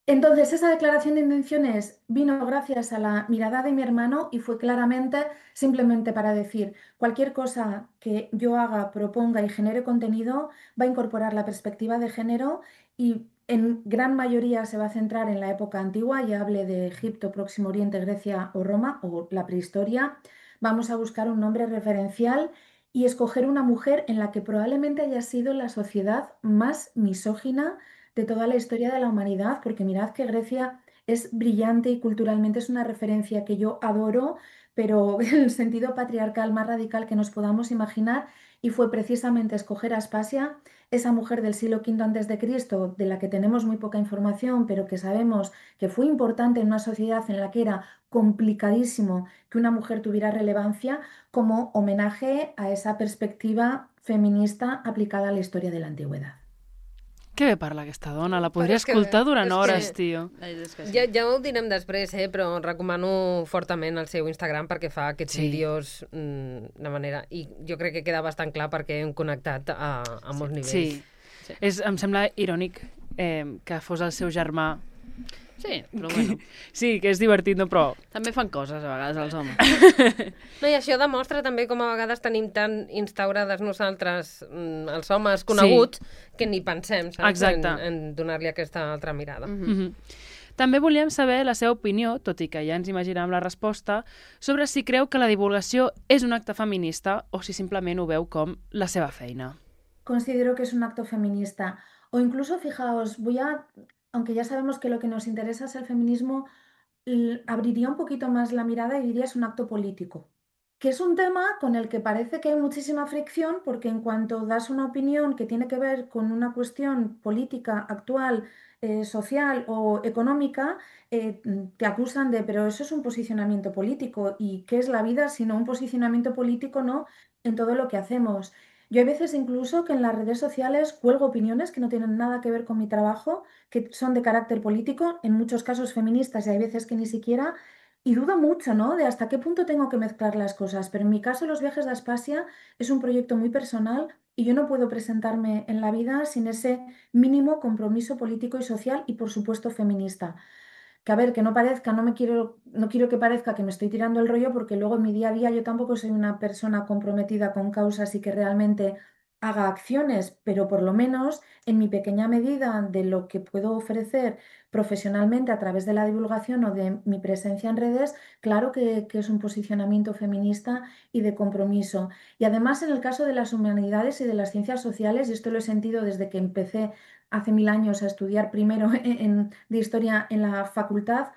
Entonces, esa declaración de intenciones vino gracias a la mirada de mi hermano y fue claramente simplemente para decir, cualquier cosa que yo haga, proponga y genere contenido va a incorporar la perspectiva de género y en gran mayoría se va a centrar en la época antigua, ya hable de Egipto, Próximo Oriente, Grecia o Roma o la prehistoria. Vamos a buscar un nombre referencial y escoger una mujer en la que probablemente haya sido la sociedad más misógina de toda la historia de la humanidad, porque mirad que Grecia es brillante y culturalmente es una referencia que yo adoro, pero en el sentido patriarcal más radical que nos podamos imaginar, y fue precisamente escoger a Aspasia, esa mujer del siglo V antes de Cristo, de la que tenemos muy poca información, pero que sabemos que fue importante en una sociedad en la que era complicadísimo que una mujer tuviera relevancia, como homenaje a esa perspectiva feminista aplicada a la historia de la antigüedad. Que bé parla aquesta dona, la podria Però és que- escoltar durant és que- hores, tio. Ja ho direm després, però recomano fortament el seu Instagram perquè fa aquests Sí. vídeos de manera... I jo crec que queda bastant clar perquè hem connectat a molts nivells. Sí. Em sembla irònic que fos el seu germà. Sí, però bueno. Sí, que és divertit, no? Però També fan coses a vegades els homes. No, i això demostra també com a vegades tenim tan instaurades nosaltres, els homes coneguts, que ni pensem, saps? Exacte. En donar-li aquesta altra mirada. també volíem saber la seva opinió, tot i que ja ens imaginàvem la resposta, sobre si creu que la divulgació és un acte feminista o si simplement ho veu com la seva feina. Considero que es un acto feminista. O incluso, fijaos, aunque ya sabemos que lo que nos interesa es el feminismo, abriría un poquito más la mirada y diría es un acto político. Que es un tema con el que parece que hay muchísima fricción, porque en cuanto das una opinión que tiene que ver con una cuestión política actual, social o económica, te acusan de, pero eso es un posicionamiento político. ¿Y qué es la vida sino un posicionamiento político, no? En todo lo que hacemos. Yo hay veces incluso que en las redes sociales cuelgo opiniones que no tienen nada que ver con mi trabajo, que son de carácter político, en muchos casos feministas y hay veces que ni siquiera, y dudo mucho, ¿no? De hasta qué punto tengo que mezclar las cosas. Pero en mi caso, Los viajes de Aspasia es un proyecto muy personal y yo no puedo presentarme en la vida sin ese mínimo compromiso político y social y, por supuesto, feminista. Que a ver, que no parezca, no quiero que parezca que me estoy tirando el rollo porque luego en mi día a día yo tampoco soy una persona comprometida con causas y que realmente haga acciones, pero por lo menos en mi pequeña medida de lo que puedo ofrecer profesionalmente a través de la divulgación o de mi presencia en redes, claro que es un posicionamiento feminista y de compromiso. Y además en el caso de las humanidades y de las ciencias sociales, y esto lo he sentido desde que empecé hace 1000 años a estudiar primero de historia en la facultad,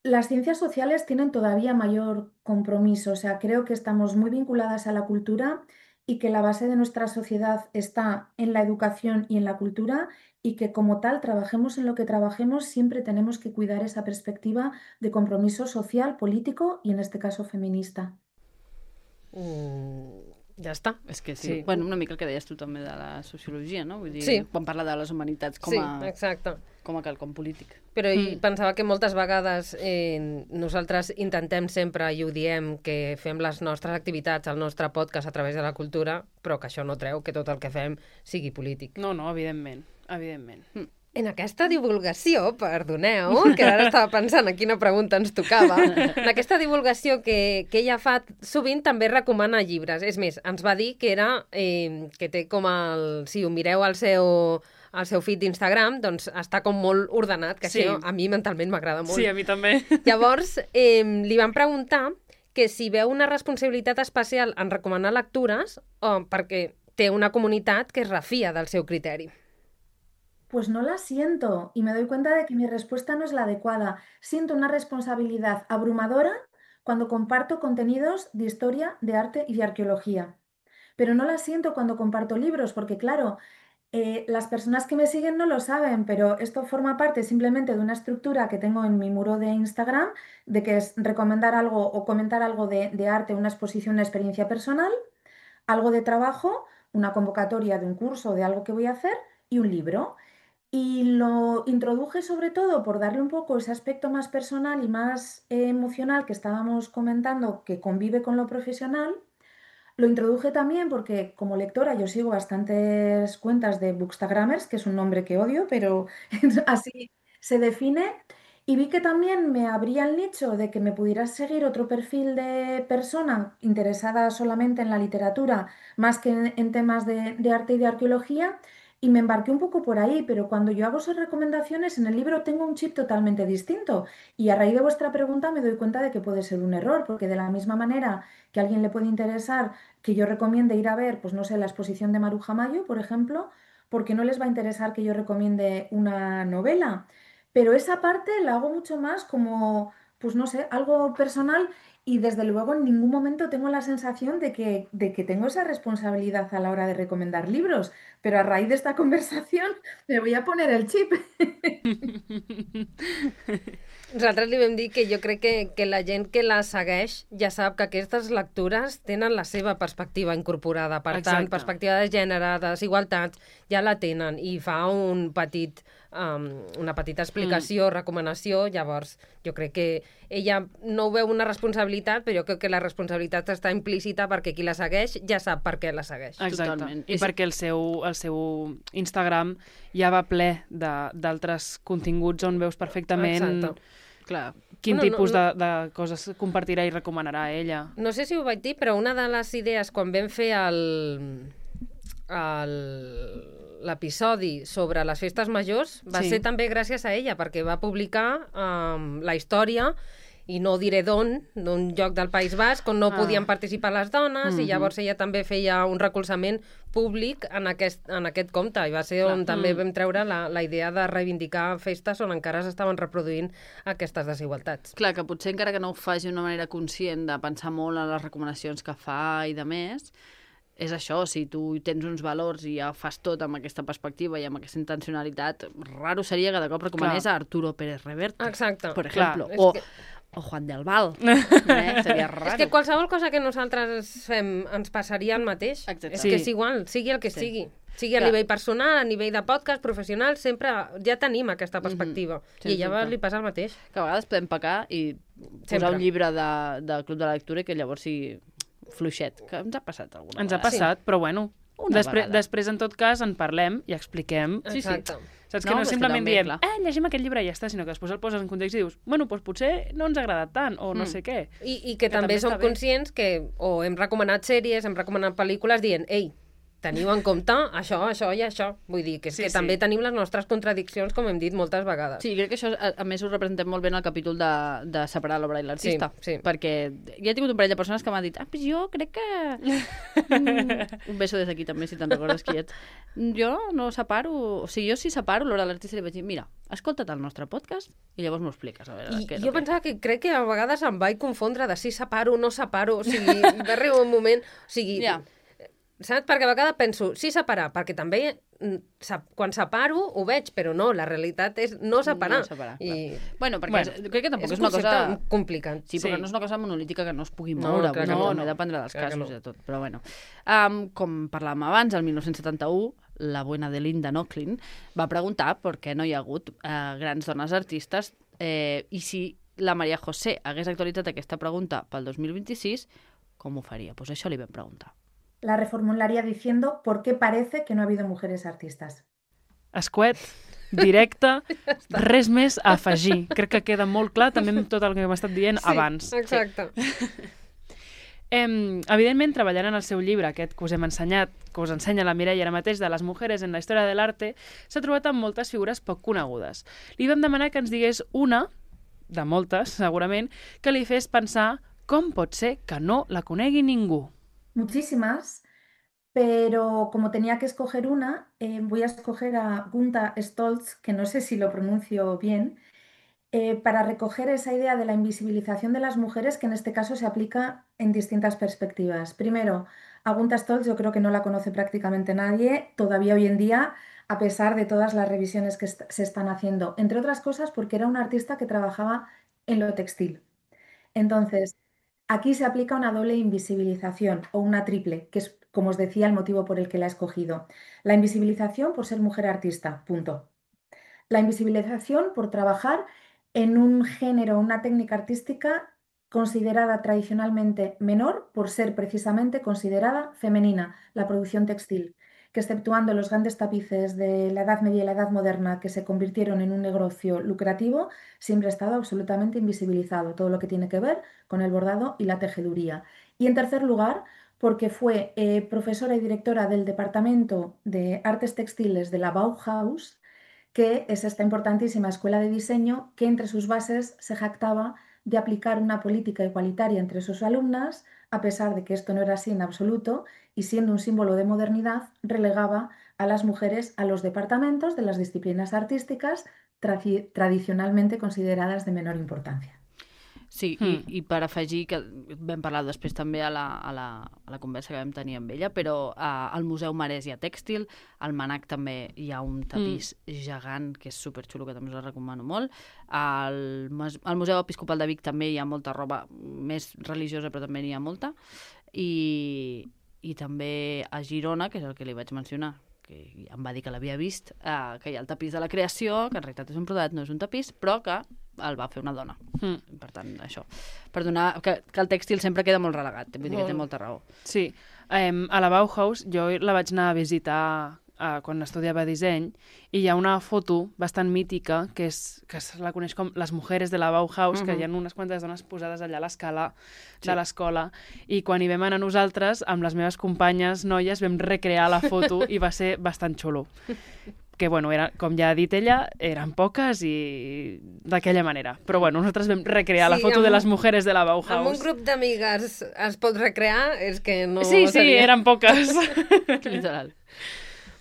las ciencias sociales tienen todavía mayor compromiso, o sea, creo que estamos muy vinculadas a la cultura y que la base de nuestra sociedad está en la educación y en la cultura y que como tal, trabajemos en lo que trabajemos, siempre tenemos que cuidar esa perspectiva de compromiso social, político y en este caso feminista. Ja està. És que sí. Bueno, una mica el que deies tu també de la sociologia, no? Vull dir, Sí. quan parla de les humanitats com a, exacte. com a quelcom polític. Però pensava que moltes vegades nosaltres intentem sempre, i ho diem, que fem les nostres activitats, el nostre podcast a través de la cultura, però que això no treu que tot el que fem sigui polític. No, evidentment. Evidentment. En aquesta divulgació, perdoneu, que ara estava pensant a quina pregunta ens tocava, en aquesta divulgació que ella fa, sovint també recomana llibres. És més, ens va dir que era que té com el... Si ho mireu al seu feed d'Instagram, doncs està com molt ordenat, que això a mi mentalment m'agrada molt. Sí, a mi també. Llavors, li van preguntar que si veu una responsabilitat especial en recomanar lectures perquè té una comunitat que es refia del seu criteri. Pues no la siento y me doy cuenta de que mi respuesta no es la adecuada. Siento una responsabilidad abrumadora cuando comparto contenidos de historia, de arte y de arqueología. Pero no la siento cuando comparto libros, porque claro, las personas que me siguen no lo saben, pero esto forma parte simplemente de una estructura que tengo en mi muro de Instagram, de que es recomendar algo o comentar algo de arte, una exposición, una experiencia personal, algo de trabajo, una convocatoria de un curso, de algo que voy a hacer y un libro. Y lo introduje sobre todo por darle un poco ese aspecto más personal y más emocional que estábamos comentando, que convive con lo profesional. Lo introduje también porque como lectora yo sigo bastantes cuentas de bookstagrammers, que es un nombre que odio, pero así se define. Y vi que también me abría el nicho de que me pudiera seguir otro perfil de persona interesada solamente en la literatura, más que en temas de arte y de arqueología. Y me embarqué un poco por ahí, pero cuando yo hago esas recomendaciones en el libro tengo un chip totalmente distinto. Y a raíz de vuestra pregunta me doy cuenta de que puede ser un error, porque de la misma manera que a alguien le puede interesar que yo recomiende ir a ver, pues no sé, la exposición de Maruja Mayo, por ejemplo, porque no les va a interesar que yo recomiende una novela. Pero esa parte la hago mucho más como, pues no sé, algo personal. Y desde luego en ningún momento tengo la sensación de que tengo esa responsabilidad a la hora de recomendar libros. Pero a raíz de esta conversación me voy a poner el chip. Nosaltres li vam dir que jo crec que la gent que la segueix ja sap que aquestes lectures tenen la seva perspectiva incorporada. Per tant, perspectiva de gènere, de desigualtats, ja la tenen i fa una petita explicació, recomanació. Llavors, jo crec que ella no ho veu una responsabilitat, però jo crec que la responsabilitat està implícita perquè qui la segueix ja sap per què la segueix. Exacte. Totalment. I perquè el seu Instagram ja va ple d'altres continguts on veus perfectament quin tipus de coses compartirà i recomanarà ella. No sé si ho vaig dir, però una de les idees quan vam fer l'episodi sobre les festes majors va ser també gràcies a ella, perquè va publicar la història, i no diré d'on, d'un lloc del País Basc, on no podien participar les dones, i llavors ella també feia un recolzament públic en aquest compte, i va ser on també vam treure la idea de reivindicar festes on encara s'estaven reproduint aquestes desigualtats. Clar, que potser encara que no ho faci d'una manera conscient de pensar molt en les recomanacions que fa i de més, és això, si tu tens uns valors i ja fas tot amb aquesta perspectiva i amb aquesta intencionalitat, raro seria que de cop recomanés a Arturo Pérez Reverte, per exemple, o Juan del Val. Seria raro. És que qualsevol cosa que nosaltres fem ens passaria el mateix. És que és igual, sigui el que sigui. Sigui a nivell personal, a nivell de podcast, professional, sempre ja tenim aquesta perspectiva. I a ella li passa el mateix. Que a vegades podem pecar i posar un llibre de Club de la Lectura i que llavors sigui fluixet, que ens ha passat alguna vegada. Ens ha passat, però bueno, després en tot cas en parlem i expliquem. Exacte. Saps que no simplement diem, llegim aquest llibre i ja està, sinó que després el poses en context i dius, bueno, doncs potser no ens ha agradat tant, o no sé què. I que també som conscients que o hem recomanat sèries, hem recomanat pel·lícules dient, ei, teniu en compte això, això i això. Vull dir que, que també tenim les nostres contradiccions, com hem dit moltes vegades. Sí, crec que això, a més, ho representem molt bé en el capítol de separar l'obra i l'artista. Sí. Perquè ja he tingut un parell de persones que m'han dit pues jo crec que... un beso des d'aquí també, si te'n recordes qui ets. Jo no separo... O sigui, jo sí separo l'obra de l'artista i li vaig dir, mira, escolta't el nostre podcast i llavors m'ho expliques. A veure, jo pensava que crec que a vegades em vaig confondre de si separo o no separo. O sigui, va arribar un moment... O sigui, saps? Perquè a vegades penso, sí separar, perquè també quan separo ho veig, però no, la realitat és no separar. Bueno, perquè crec que tampoc és una cosa... complicat. Sí, però no és una cosa monolítica que no es pugui moure. No, dependrà dels casos i de tot. Però bueno, com parlàvem abans, el 1971, la buena de Linda Nochlin va preguntar per què no hi ha hagut grans dones artistes i si la María José hagués actualitzat aquesta pregunta pel 2026, com ho faria? Doncs això li vam preguntar. La reformularía diciendo ¿por qué parece que no ha habido mujeres artistas? Escuet, directe, res més a afegir. Crec que queda molt clar també amb tot el que hem estat dient abans. Exacte. Evidentment, treballant en el seu llibre, aquest que us hem ensenyat, que us ensenya la Mireia ara mateix, de les mujeres en la història de l'arte, s'ha trobat amb moltes figures poc conegudes. Li vam demanar que ens digués una, de moltes, segurament, que li fes pensar com pot ser que no la conegui ningú. Muchísimas, pero como tenía que escoger una, voy a escoger a Gunta Stoltz, que no sé si lo pronuncio bien, para recoger esa idea de la invisibilización de las mujeres que en este caso se aplica en distintas perspectivas. Primero, a Gunta Stoltz yo creo que no la conoce prácticamente nadie todavía hoy en día, a pesar de todas las revisiones que se están haciendo, entre otras cosas porque era una artista que trabajaba en lo textil. Entonces, aquí se aplica una doble invisibilización o una triple, que es, como os decía, el motivo por el que la he escogido. La invisibilización por ser mujer artista, punto. La invisibilización por trabajar en un género, una técnica artística considerada tradicionalmente menor por ser precisamente considerada femenina, la producción textil, que exceptuando los grandes tapices de la Edad Media y la Edad Moderna que se convirtieron en un negocio lucrativo, siempre ha estado absolutamente invisibilizado, todo lo que tiene que ver con el bordado y la tejeduría. Y en tercer lugar, porque fue profesora y directora del Departamento de Artes Textiles de la Bauhaus, que es esta importantísima escuela de diseño que entre sus bases se jactaba de aplicar una política igualitaria entre sus alumnas, a pesar de que esto no era así en absoluto, y siendo un símbolo de modernidad, relegaba a las mujeres a los departamentos de las disciplinas artísticas tradicionalmente consideradas de menor importancia. Sí, i per afegir, que vam parlar després també a la conversa que vam tenir amb ella, però al Museu Marès hi ha tèxtil, al Manac també hi ha un tapís gegant que és superxulo, que també us el recomano molt. Al Museu Episcopal de Vic també hi ha molta roba més religiosa, però també n'hi ha molta. I també a Girona, que és el que li vaig mencionar, que em va dir que l'havia vist, que hi ha el tapís de la creació, que en realitat és un brodat, no és un tapís, però que el va fer una dona. Per tant, això. Per donar que el tèxtil sempre queda molt relegat, vull dir que té molta raó. Sí. A la Bauhaus jo la vaig anar a visitar quan estudiava disseny i hi ha una foto bastant mítica que se la coneix com les mujeres de la Bauhaus, que hi ha unes quantes dones posades allà a l'escala de l'escola, i quan hi vam anar nosaltres, amb les meves companyes noies, vam recrear la foto i va ser bastant xulo. Que, bueno, com ja ha dit ella, eren poques i d'aquella manera. Però, bueno, nosaltres vam recrear la foto de les mujeres de la Bauhaus. Amb un grup d'amigues es pot recrear? És que no... Sí, eren poques. Literal.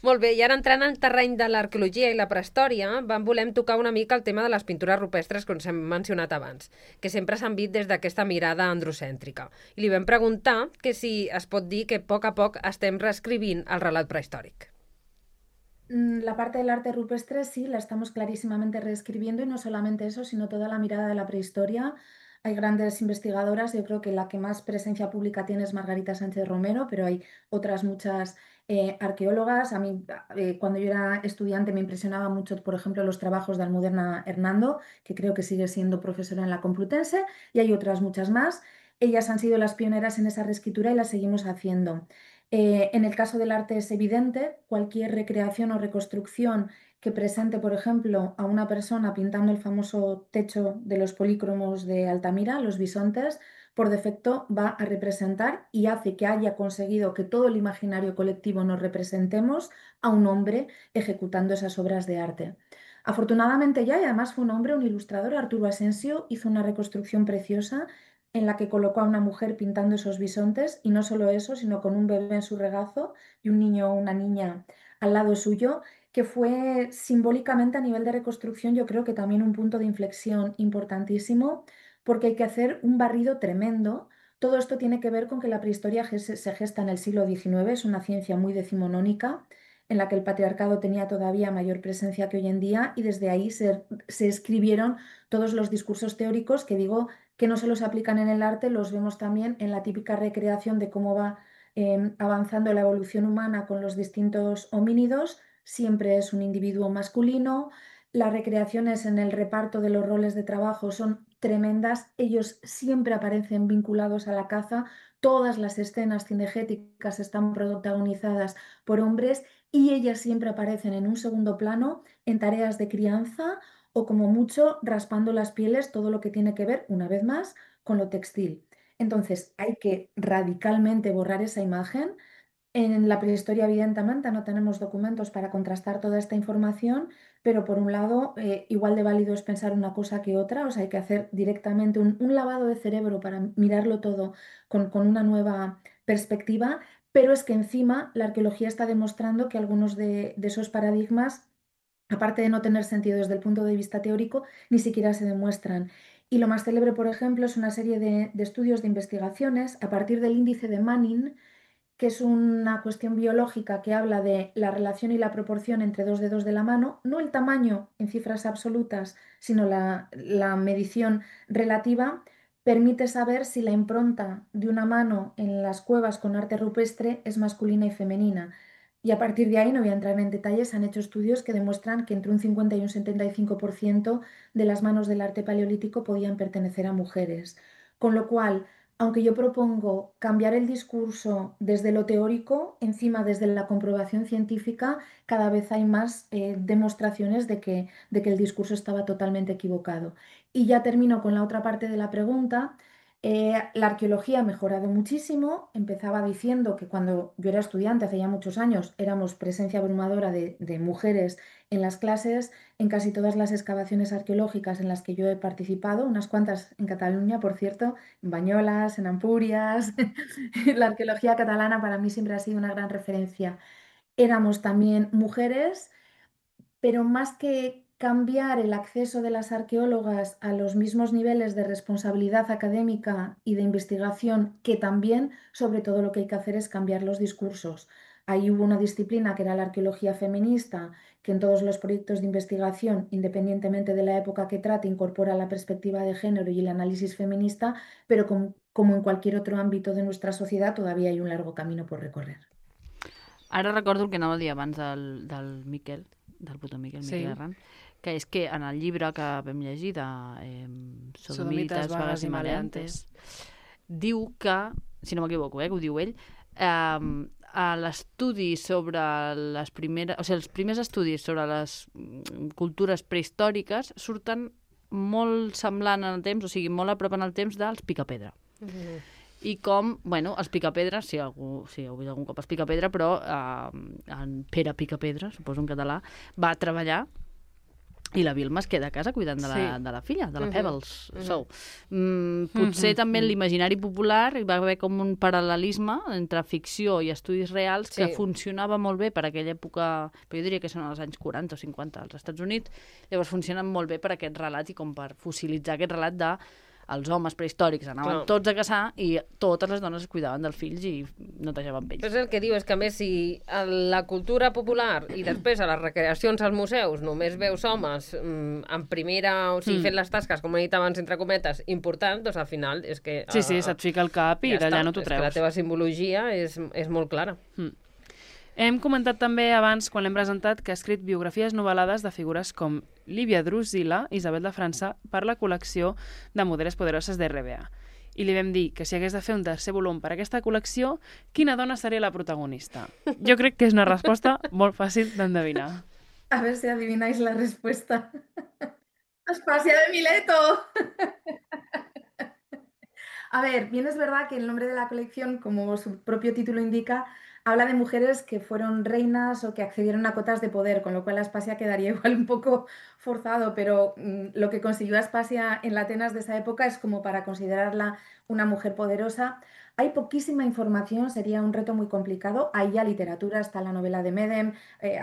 Molt bé, i ara entrant en el terreny de l'arqueologia i la prehistòria, volem tocar una mica el tema de les pintures rupestres que us hem mencionat abans, que sempre s'han vist des d'aquesta mirada androcèntrica. I li vam preguntar que si es pot dir que a poc estem reescrivint el relat prehistòric. La parte del arte rupestre sí, la estamos clarísimamente reescribiendo y no solamente eso, sino toda la mirada de la prehistoria. Hay grandes investigadoras, yo creo que la que más presencia pública tiene es Margarita Sánchez Romero, pero hay otras muchas arqueólogas. A mí, cuando yo era estudiante, me impresionaba mucho, por ejemplo, los trabajos de Almudena Hernando, que creo que sigue siendo profesora en la Complutense, y hay otras muchas más. Ellas han sido las pioneras en esa reescritura y las seguimos haciendo. En el caso del arte es evidente, cualquier recreación o reconstrucción que presente, por ejemplo, a una persona pintando el famoso techo de los polícromos de Altamira, los bisontes, por defecto va a representar y hace que haya conseguido que todo el imaginario colectivo nos representemos a un hombre ejecutando esas obras de arte. Afortunadamente ya, y además fue un hombre, un ilustrador, Arturo Asensio, hizo una reconstrucción preciosa en la que colocó a una mujer pintando esos bisontes, y no solo eso, sino con un bebé en su regazo y un niño o una niña al lado suyo, que fue simbólicamente a nivel de reconstrucción, yo creo que también un punto de inflexión importantísimo, porque hay que hacer un barrido tremendo. Todo esto tiene que ver con que la prehistoria se gesta en el siglo XIX, es una ciencia muy decimonónica, en la que el patriarcado tenía todavía mayor presencia que hoy en día, y desde ahí se escribieron todos los discursos teóricos que digo que no solo se aplican en el arte, los vemos también en la típica recreación de cómo va avanzando la evolución humana con los distintos homínidos. Siempre es un individuo masculino. Las recreaciones en el reparto de los roles de trabajo son tremendas. Ellos siempre aparecen vinculados a la caza. Todas las escenas cinegéticas están protagonizadas por hombres y ellas siempre aparecen en un segundo plano en tareas de crianza o como mucho raspando las pieles, todo lo que tiene que ver, una vez más, con lo textil. Entonces hay que radicalmente borrar esa imagen. En la prehistoria, evidentemente, no tenemos documentos para contrastar toda esta información, pero por un lado, igual de válido es pensar una cosa que otra, o sea, hay que hacer directamente un lavado de cerebro para mirarlo todo con una nueva perspectiva, pero es que encima la arqueología está demostrando que algunos de esos paradigmas, aparte de no tener sentido desde el punto de vista teórico, ni siquiera se demuestran. Y lo más célebre, por ejemplo, es una serie de estudios de investigaciones a partir del índice de Manning, que es una cuestión biológica que habla de la relación y la proporción entre dos dedos de la mano, no el tamaño en cifras absolutas, sino la medición relativa, permite saber si la impronta de una mano en las cuevas con arte rupestre es masculina y femenina. Y a partir de ahí, no voy a entrar en detalles, han hecho estudios que demuestran que entre un 50 y un 75% de las manos del arte paleolítico podían pertenecer a mujeres. Con lo cual, aunque yo propongo cambiar el discurso desde lo teórico, encima desde la comprobación científica, cada vez hay más demostraciones de que el discurso estaba totalmente equivocado. Y ya termino con la otra parte de la pregunta. La arqueología ha mejorado muchísimo. Empezaba diciendo que cuando yo era estudiante, hace ya muchos años, éramos presencia abrumadora de mujeres en las clases. En casi todas las excavaciones arqueológicas en las que yo he participado, unas cuantas en Cataluña, por cierto, en Bañolas, en Ampurias. La arqueología catalana para mí siempre ha sido una gran referencia. Éramos también mujeres, pero más que cambiar el acceso de las arqueólogas a los mismos niveles de responsabilidad académica y de investigación, que también, sobre todo, lo que hay que hacer es cambiar los discursos. Ahí hubo una disciplina que era la arqueología feminista, que en todos los proyectos de investigación, independientemente de la época que trate, incorpora la perspectiva de género y el análisis feminista, pero como en cualquier otro ámbito de nuestra sociedad, todavía hay un largo camino por recorrer. Ara recordo el que anava a dir abans del Miquel, del puto Miquel, Sí. Miquel Herran, que és que en el llibre que vam llegir de Sodomites, Vagues i Maleantes, diu que, si no m'equivoco, que ho diu ell, a l'estudi sobre les primeres... O sigui, els primers estudis sobre les cultures prehistòriques surten molt semblant en el temps, o sigui, molt a prop en el temps dels Picapedra. I com, bueno, els Picapedra, si heu vist algun cop els Picapedra, però en Pere Picapedra, suposo en català, va treballar i la Vilma es queda a casa cuidant de la filla, de la Pebbles. Potser també en l'imaginari popular hi va haver com un paral·lelisme entre ficció i estudis reals que funcionava molt bé per aquella època, però jo diria que són els anys 40 o 50 als Estats Units, llavors funcionen molt bé per aquest relat i com per fossilitzar aquest relat de els homes prehistòrics anaven tots a caçar i totes les dones es cuidaven dels fills i netejaven pells. És el que diu, és que a més si a la cultura popular i després a les recreacions als museus només veus homes en primera, o sigui, fent les tasques, com he dit abans, entre cometes, important, doncs al final és que... Sí, se't fica el cap i d'allà no t'ho treus. És que la teva simbologia és molt clara. Hem comentat també abans, quan l'hem presentat, que ha escrit biografies novel·lades de figures com Lívia Drusila, Isabel de França, per la col·lecció de Mujeres Poderoses de RBA. I li vam dir que si hagués de fer un tercer volum per a aquesta col·lecció, quina dona seria la protagonista? Jo crec que és una resposta molt fàcil d'endevinar. A ver si adivináis la respuesta. Aspasia de Mileto. A ver, bien es verdad que el nombre de la colección, como su propio título indica, habla de mujeres que fueron reinas o que accedieron a cotas de poder, con lo cual Aspasia quedaría igual un poco forzado, pero lo que consiguió Aspasia en la Atenas de esa época es como para considerarla una mujer poderosa. Hay poquísima información, sería un reto muy complicado. Hay ya literatura, está la novela de Medem,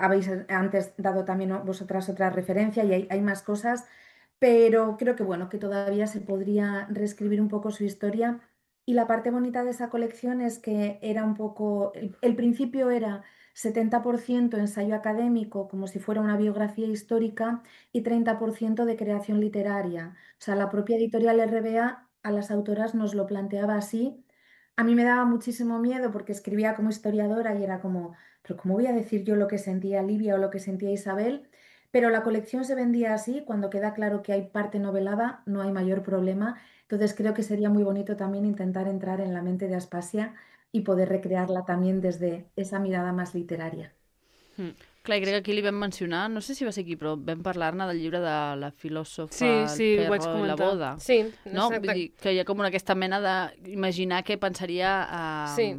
habéis antes dado también vosotras otra referencia y hay más cosas, pero creo que bueno, que todavía se podría reescribir un poco su historia. Y la parte bonita de esa colección es que era un poco, el principio era 70% ensayo académico, como si fuera una biografía histórica, y 30% de creación literaria. O sea, la propia editorial RBA a las autoras nos lo planteaba así. A mí me daba muchísimo miedo porque escribía como historiadora y era como, pero ¿cómo voy a decir yo lo que sentía Livia o lo que sentía Isabel? Pero la colección se vendía así, cuando queda claro que hay parte novelada, no hay mayor problema. Entonces creo que sería muy bonito también intentar entrar en la mente de Aspasia y poder recrearla también desde esa mirada más literaria. Clar, i crec que aquí li vam mencionar, no sé si va ser aquí, però vam parlar-ne del llibre de la filòsofa, Sí, el ho vaig perro i la comentar. boda. Sí, No? Vull dir que hi ha com aquesta mena d'imaginar què pensaria Sí.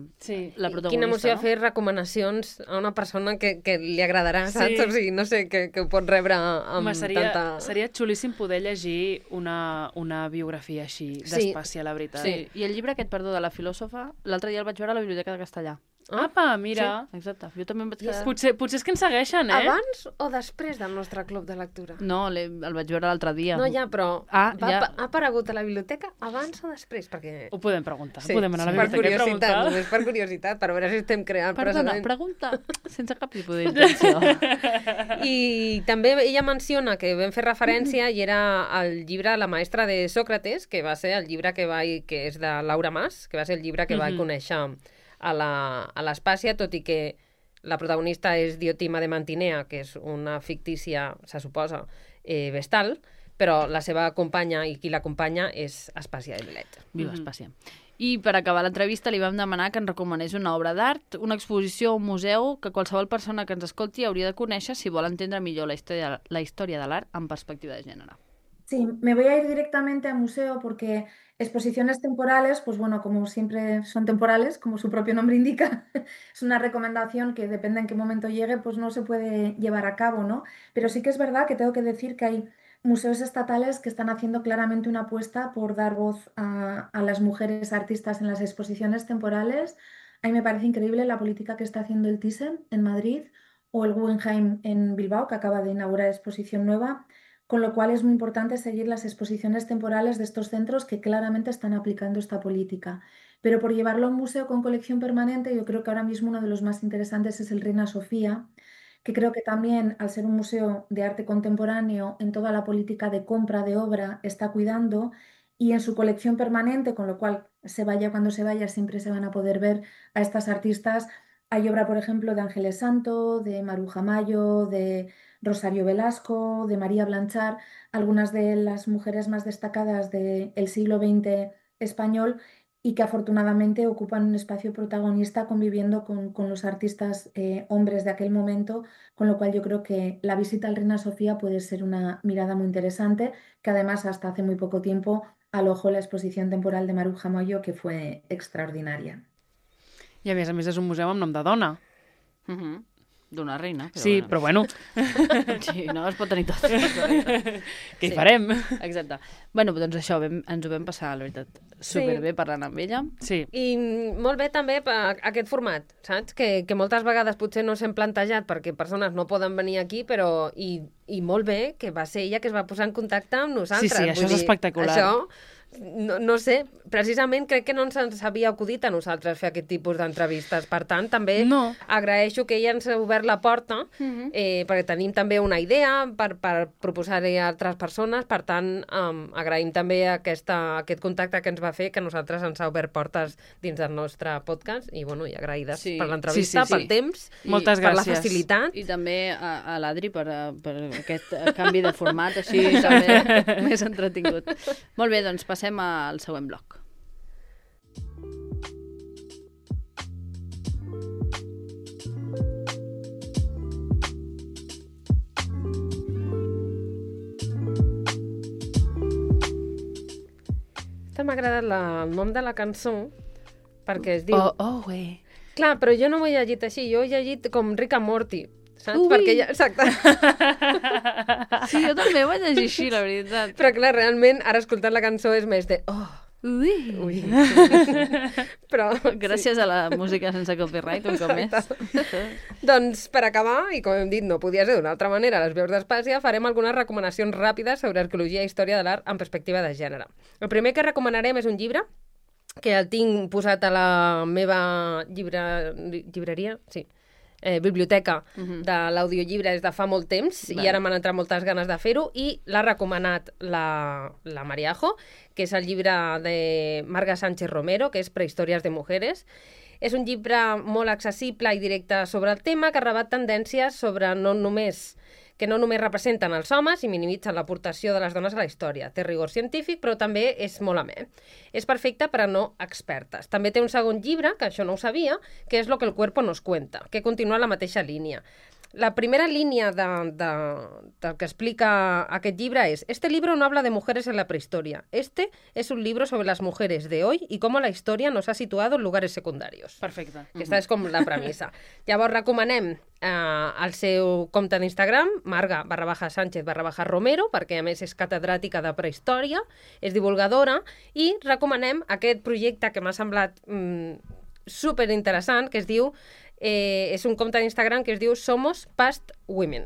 la protagonista. Quina emoció no? fer recomanacions a una persona que li agradarà, Sí. saps? O sigui, no sé, que ho pot rebre amb Home, seria tanta... xulíssim poder llegir una biografia així Sí. d'Espàcia, la veritat. Sí, i el llibre aquest, perdó, de la filòsofa, l'altre dia el vaig veure a la Biblioteca de Castellà. Apa, mira. Sí, exacte. Jo també em vaig quedar... Potser és que ens segueixen, eh? Abans o després del nostre club de lectura? No, el vaig veure l'altre dia. No, ja, però Ah, ja. ha aparegut a la biblioteca abans o després? Perquè... Ho podem preguntar. Sí, Podem anar a la per biblioteca i curiositat, preguntar. només per curiositat, per veure si estem creant Perdona, precedent. pregunta sense cap tipus d'intenció. I també ella menciona que vam fer referència i era el llibre La maestra de Sócrates, que va ser el llibre que és de Laura Mas, que va ser el llibre que vaig conèixer a l'Espàcia, tot i que la protagonista és Diotima de Mantinea, que és una fictícia, se suposa, vestal, però la seva companya i qui l'acompanya és Aspàsia de Milet. Viva Espàcia. I per acabar l'entrevista li vam demanar que ens recomanés una obra d'art, una exposició o un museu que qualsevol persona que ens escolti hauria de conèixer si vol entendre millor la història de l'art en perspectiva de gènere. Sí, me voy a ir directamente al museo porque exposiciones temporales, pues bueno, como siempre son temporales, como su propio nombre indica, es una recomendación que depende en qué momento llegue, pues no se puede llevar a cabo, ¿no? Pero sí que es verdad que tengo que decir que hay museos estatales que están haciendo claramente una apuesta por dar voz a las mujeres artistas en las exposiciones temporales. A mí me parece increíble la política que está haciendo el Thyssen en Madrid o el Guggenheim en Bilbao, que acaba de inaugurar exposición nueva. Con lo cual es muy importante seguir las exposiciones temporales de estos centros que claramente están aplicando esta política. Pero por llevarlo a un museo con colección permanente, yo creo que ahora mismo uno de los más interesantes es el Reina Sofía, que creo que también, al ser un museo de arte contemporáneo, en toda la política de compra de obra está cuidando y en su colección permanente, con lo cual se vaya cuando se vaya, siempre se van a poder ver a estas artistas. Hay obra, por ejemplo, de Ángeles Santo, de Maruja Mayo, de Rosario Velasco, de María Blanchard, algunas de las mujeres más destacadas del siglo XX español y que afortunadamente ocupan un espacio protagonista conviviendo con los artistas hombres de aquel momento, con lo cual yo creo que la visita al Reina Sofía puede ser una mirada muy interesante, que además hasta hace muy poco tiempo alojó la exposición temporal de Maruja Mayo, que fue extraordinaria. I a més és un museu amb nom de dona. D'una reina. Però Sí, bueno. però bueno, Sí, no es pot tenir tot. què hi farem? Exacte. Bueno, doncs això, ens ho vam passar, la veritat, superbé parlant amb ella. Sí. I molt bé també aquest format, saps? Que moltes vegades potser no s'hem plantejat perquè persones no poden venir aquí, però i molt bé que va ser ella que es va posar en contacte amb nosaltres. Sí, això Vull és dir, espectacular. Això, no sé, precisament crec que no ens havia acudit a nosaltres fer aquest tipus d'entrevistes. Per tant, també No. agraeixo que ella ens ha obert la porta, perquè tenim també una idea per proposar-hi a altres persones. Per tant, agraïm també aquest contacte que ens va fer, que a nosaltres ens ha obert portes dins del nostre podcast. I, bueno, i agraïdes Sí. per l'entrevista, Sí. pel temps, Moltes per la gràcies. facilitat. I també a l'Adri per aquest canvi de format, així també més entretingut. Molt bé, doncs passem al següent bloc. Estem m'ha agradat el nom de la cançó, perquè es diu... Güey. Clar, però jo no ho he llegit així, jo he llegit com Rick and Morty, saps? Ui! Perquè ja... Exacte. Sí, jo també ho vaig llegir així, la veritat. Però clar, realment, ara escoltant la cançó és més de... Ui. Però... Gràcies a la música sense copyright, un cop més. Doncs, per acabar, i com hem dit, no podia ser d'una altra manera, a les veus d'Espàcia, farem algunes recomanacions ràpides sobre arqueologia i història de l'art en perspectiva de gènere. El primer que recomanarem és un llibre, que el tinc posat a la meva llibreria, sí, biblioteca de l'audiollibre des de fa molt temps i ara m'han entrat moltes ganes de fer-ho i l'ha recomanat la Mariajo, que és el llibre de Marga Sánchez Romero, que és Prehistòries de Mujeres. És un llibre molt accessible i directe sobre el tema que rebat tendències sobre que no només representen els homes i minimitzen l'aportació de les dones a la història. Té rigor científic, però també és molt amè. És perfecte per a no expertes. També té un segon llibre, que això no ho sabia, que és Lo que el cuerpo nos cuenta, que continua la mateixa línia. La primera línia del que explica aquest llibre es: este libro no habla de mujeres en la prehistoria. Este es un libro sobre las mujeres de hoy y cómo la historia nos ha situado en lugares secundarios. Perfecte. Aquesta és com la premissa. Llavors recomanem el seu compte d'Instagram, Marga_Sánchez_Romero, perquè a més és catedràtica de prehistòria, és divulgadora, i recomanem aquest projecte que m'ha semblat superinteressant, que es diu és un compte d'Instagram que es diu Somos Past Women.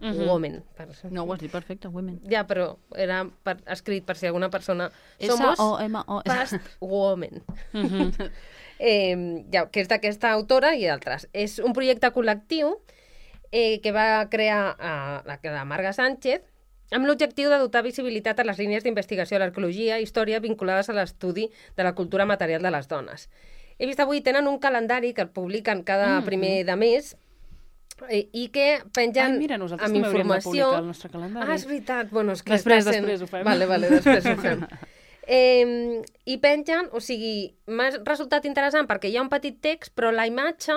Women. No, ho has dit perfecte, women. Ja, però era escrit per si alguna persona... Somos S-O-M-O. Past Women. Que és d'aquesta autora i d'altres. És un projecte col·lectiu que va crear la Marga Sánchez amb l'objectiu de dotar visibilitat a les línies d'investigació de l'arqueologia i història vinculades a l'estudi de la cultura material de les dones. He vist avui, tenen un calendari que el publiquen cada primer de mes i que pengen mira, nosaltres amb també hauríem de informació... publicar el nostre calendari. És veritat. Bueno, és que després ho fem. Vale, després ho fem. I pengen, o sigui, m'ha resultat interessant perquè hi ha un petit text, però la imatge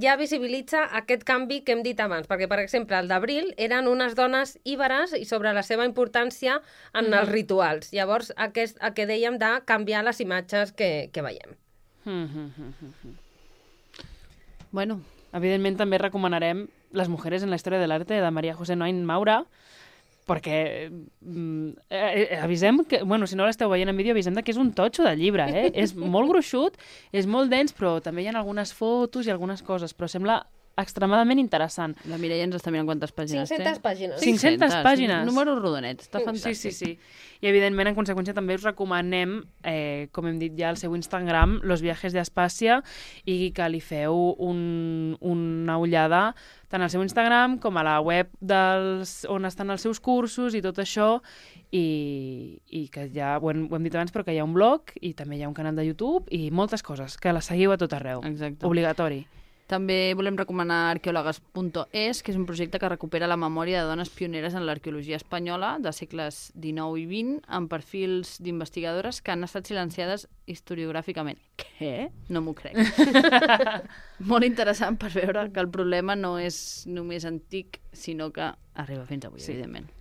ja visibilitza aquest canvi que hem dit abans, perquè, per exemple, el d'abril eren unes dones íberes i sobre la seva importància en els rituals. Llavors, el que dèiem de canviar les imatges que veiem. Bueno, evidentment també recomanarem Les mujeres en la història de l'arte de María José Noain Maura, perquè avisem que, bueno, si no l'esteu veient en vídeo, avisem que és un totxo de llibre, és molt gruixut, és molt dens, però també hi ha algunes fotos i algunes coses, però sembla extremadament interessant. La Mireia ens està mirant quantes pàgines 500 pàgines. 500 pàgines. Números rodonets, està fantàstic. Sí. I evidentment, en conseqüència, també us recomanem, com hem dit ja, el seu Instagram, Los Viajes de Espàcia, i que li feu una ullada tant al seu Instagram com a la web on estan els seus cursos i tot això, i que ja ho hem dit abans, però que hi ha un blog i també hi ha un canal de YouTube i moltes coses, que la seguiu a tot arreu. Exacte. Obligatori. També volem recomanar arqueòlogues.es, que és un projecte que recupera la memòria de dones pioneres en l'arqueologia espanyola de segles XIX i XX, amb perfils d'investigadores que han estat silenciades historiogràficament. Què? No m'ho crec. Molt interessant per veure que el problema no és només antic, sinó que arriba fins avui, evidentment.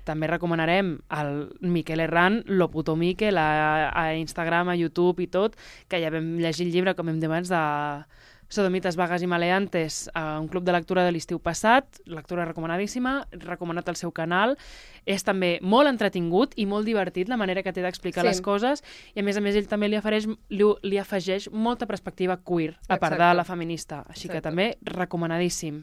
També recomanarem el Miquel Herrán, Lo puto Miquel, a Instagram, a YouTube i tot, que ja vam llegir el llibre, com hem dit abans, de Sodomites, vagues i maleantes, a un club de lectura de l'estiu passat, lectura recomanadíssima, recomanat al seu canal. És també molt entretingut i molt divertit la manera que té d'explicar les coses, i a més ell també li afegeix molta perspectiva queer, a part de la feminista, així que també recomanadíssim.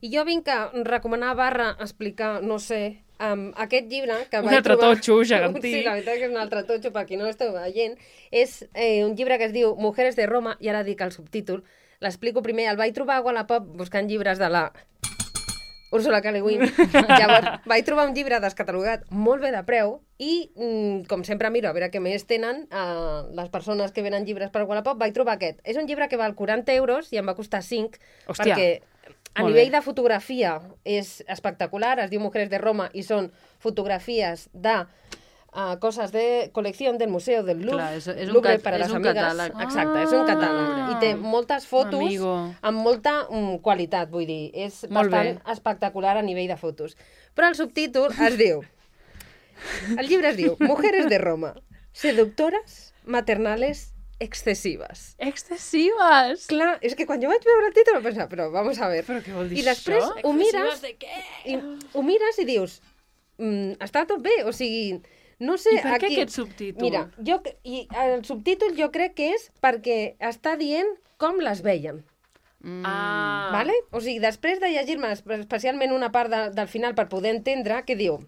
I jo vinc a recomanar / explicar, no sé, aquest llibre que un altre totxo gegantí. Sí, la veritat que és un altre totxo, per qui no l'esteu veient. És un llibre que es diu Mujeres de Roma, i ara dic el subtítol. L'explico primer. El vaig trobar a Wallapop buscant llibres de la Úrsula K. Le Guin. Llavors, vaig trobar un llibre descatalogat molt bé de preu i, com sempre, miro a veure què més tenen les persones que venen llibres per Wallapop. Vaig trobar aquest. És un llibre que val 40 euros i em va costar 5, perquè a nivell de fotografia és espectacular. Es diu Mujeres de Roma i són fotografies de coses de col·lecció del Museu del Louvre. Clar, és Louvre per a les un amigues. catàleg. Exacte, és un catàleg. I té moltes fotos amb molta qualitat, vull dir. És bastant espectacular a nivell de fotos. Però el subtítol es diu... El llibre es diu Mujeres de Roma. Seductoras maternales excesives. Excessives! Clar, és que quan jo vaig veure el títol vaig pensar, però vamos a ver. Però què vol dir I després això? ho mires, de què? ho mires i dius, està tot bé, o sigui, no sé... I per què aquí... aquest subtítol? Mira, el subtítol jo crec que és perquè està dient com les veien. Ah. ¿Vale? O sigui, després de llegir-me especialment una part del final per poder entendre, que diu...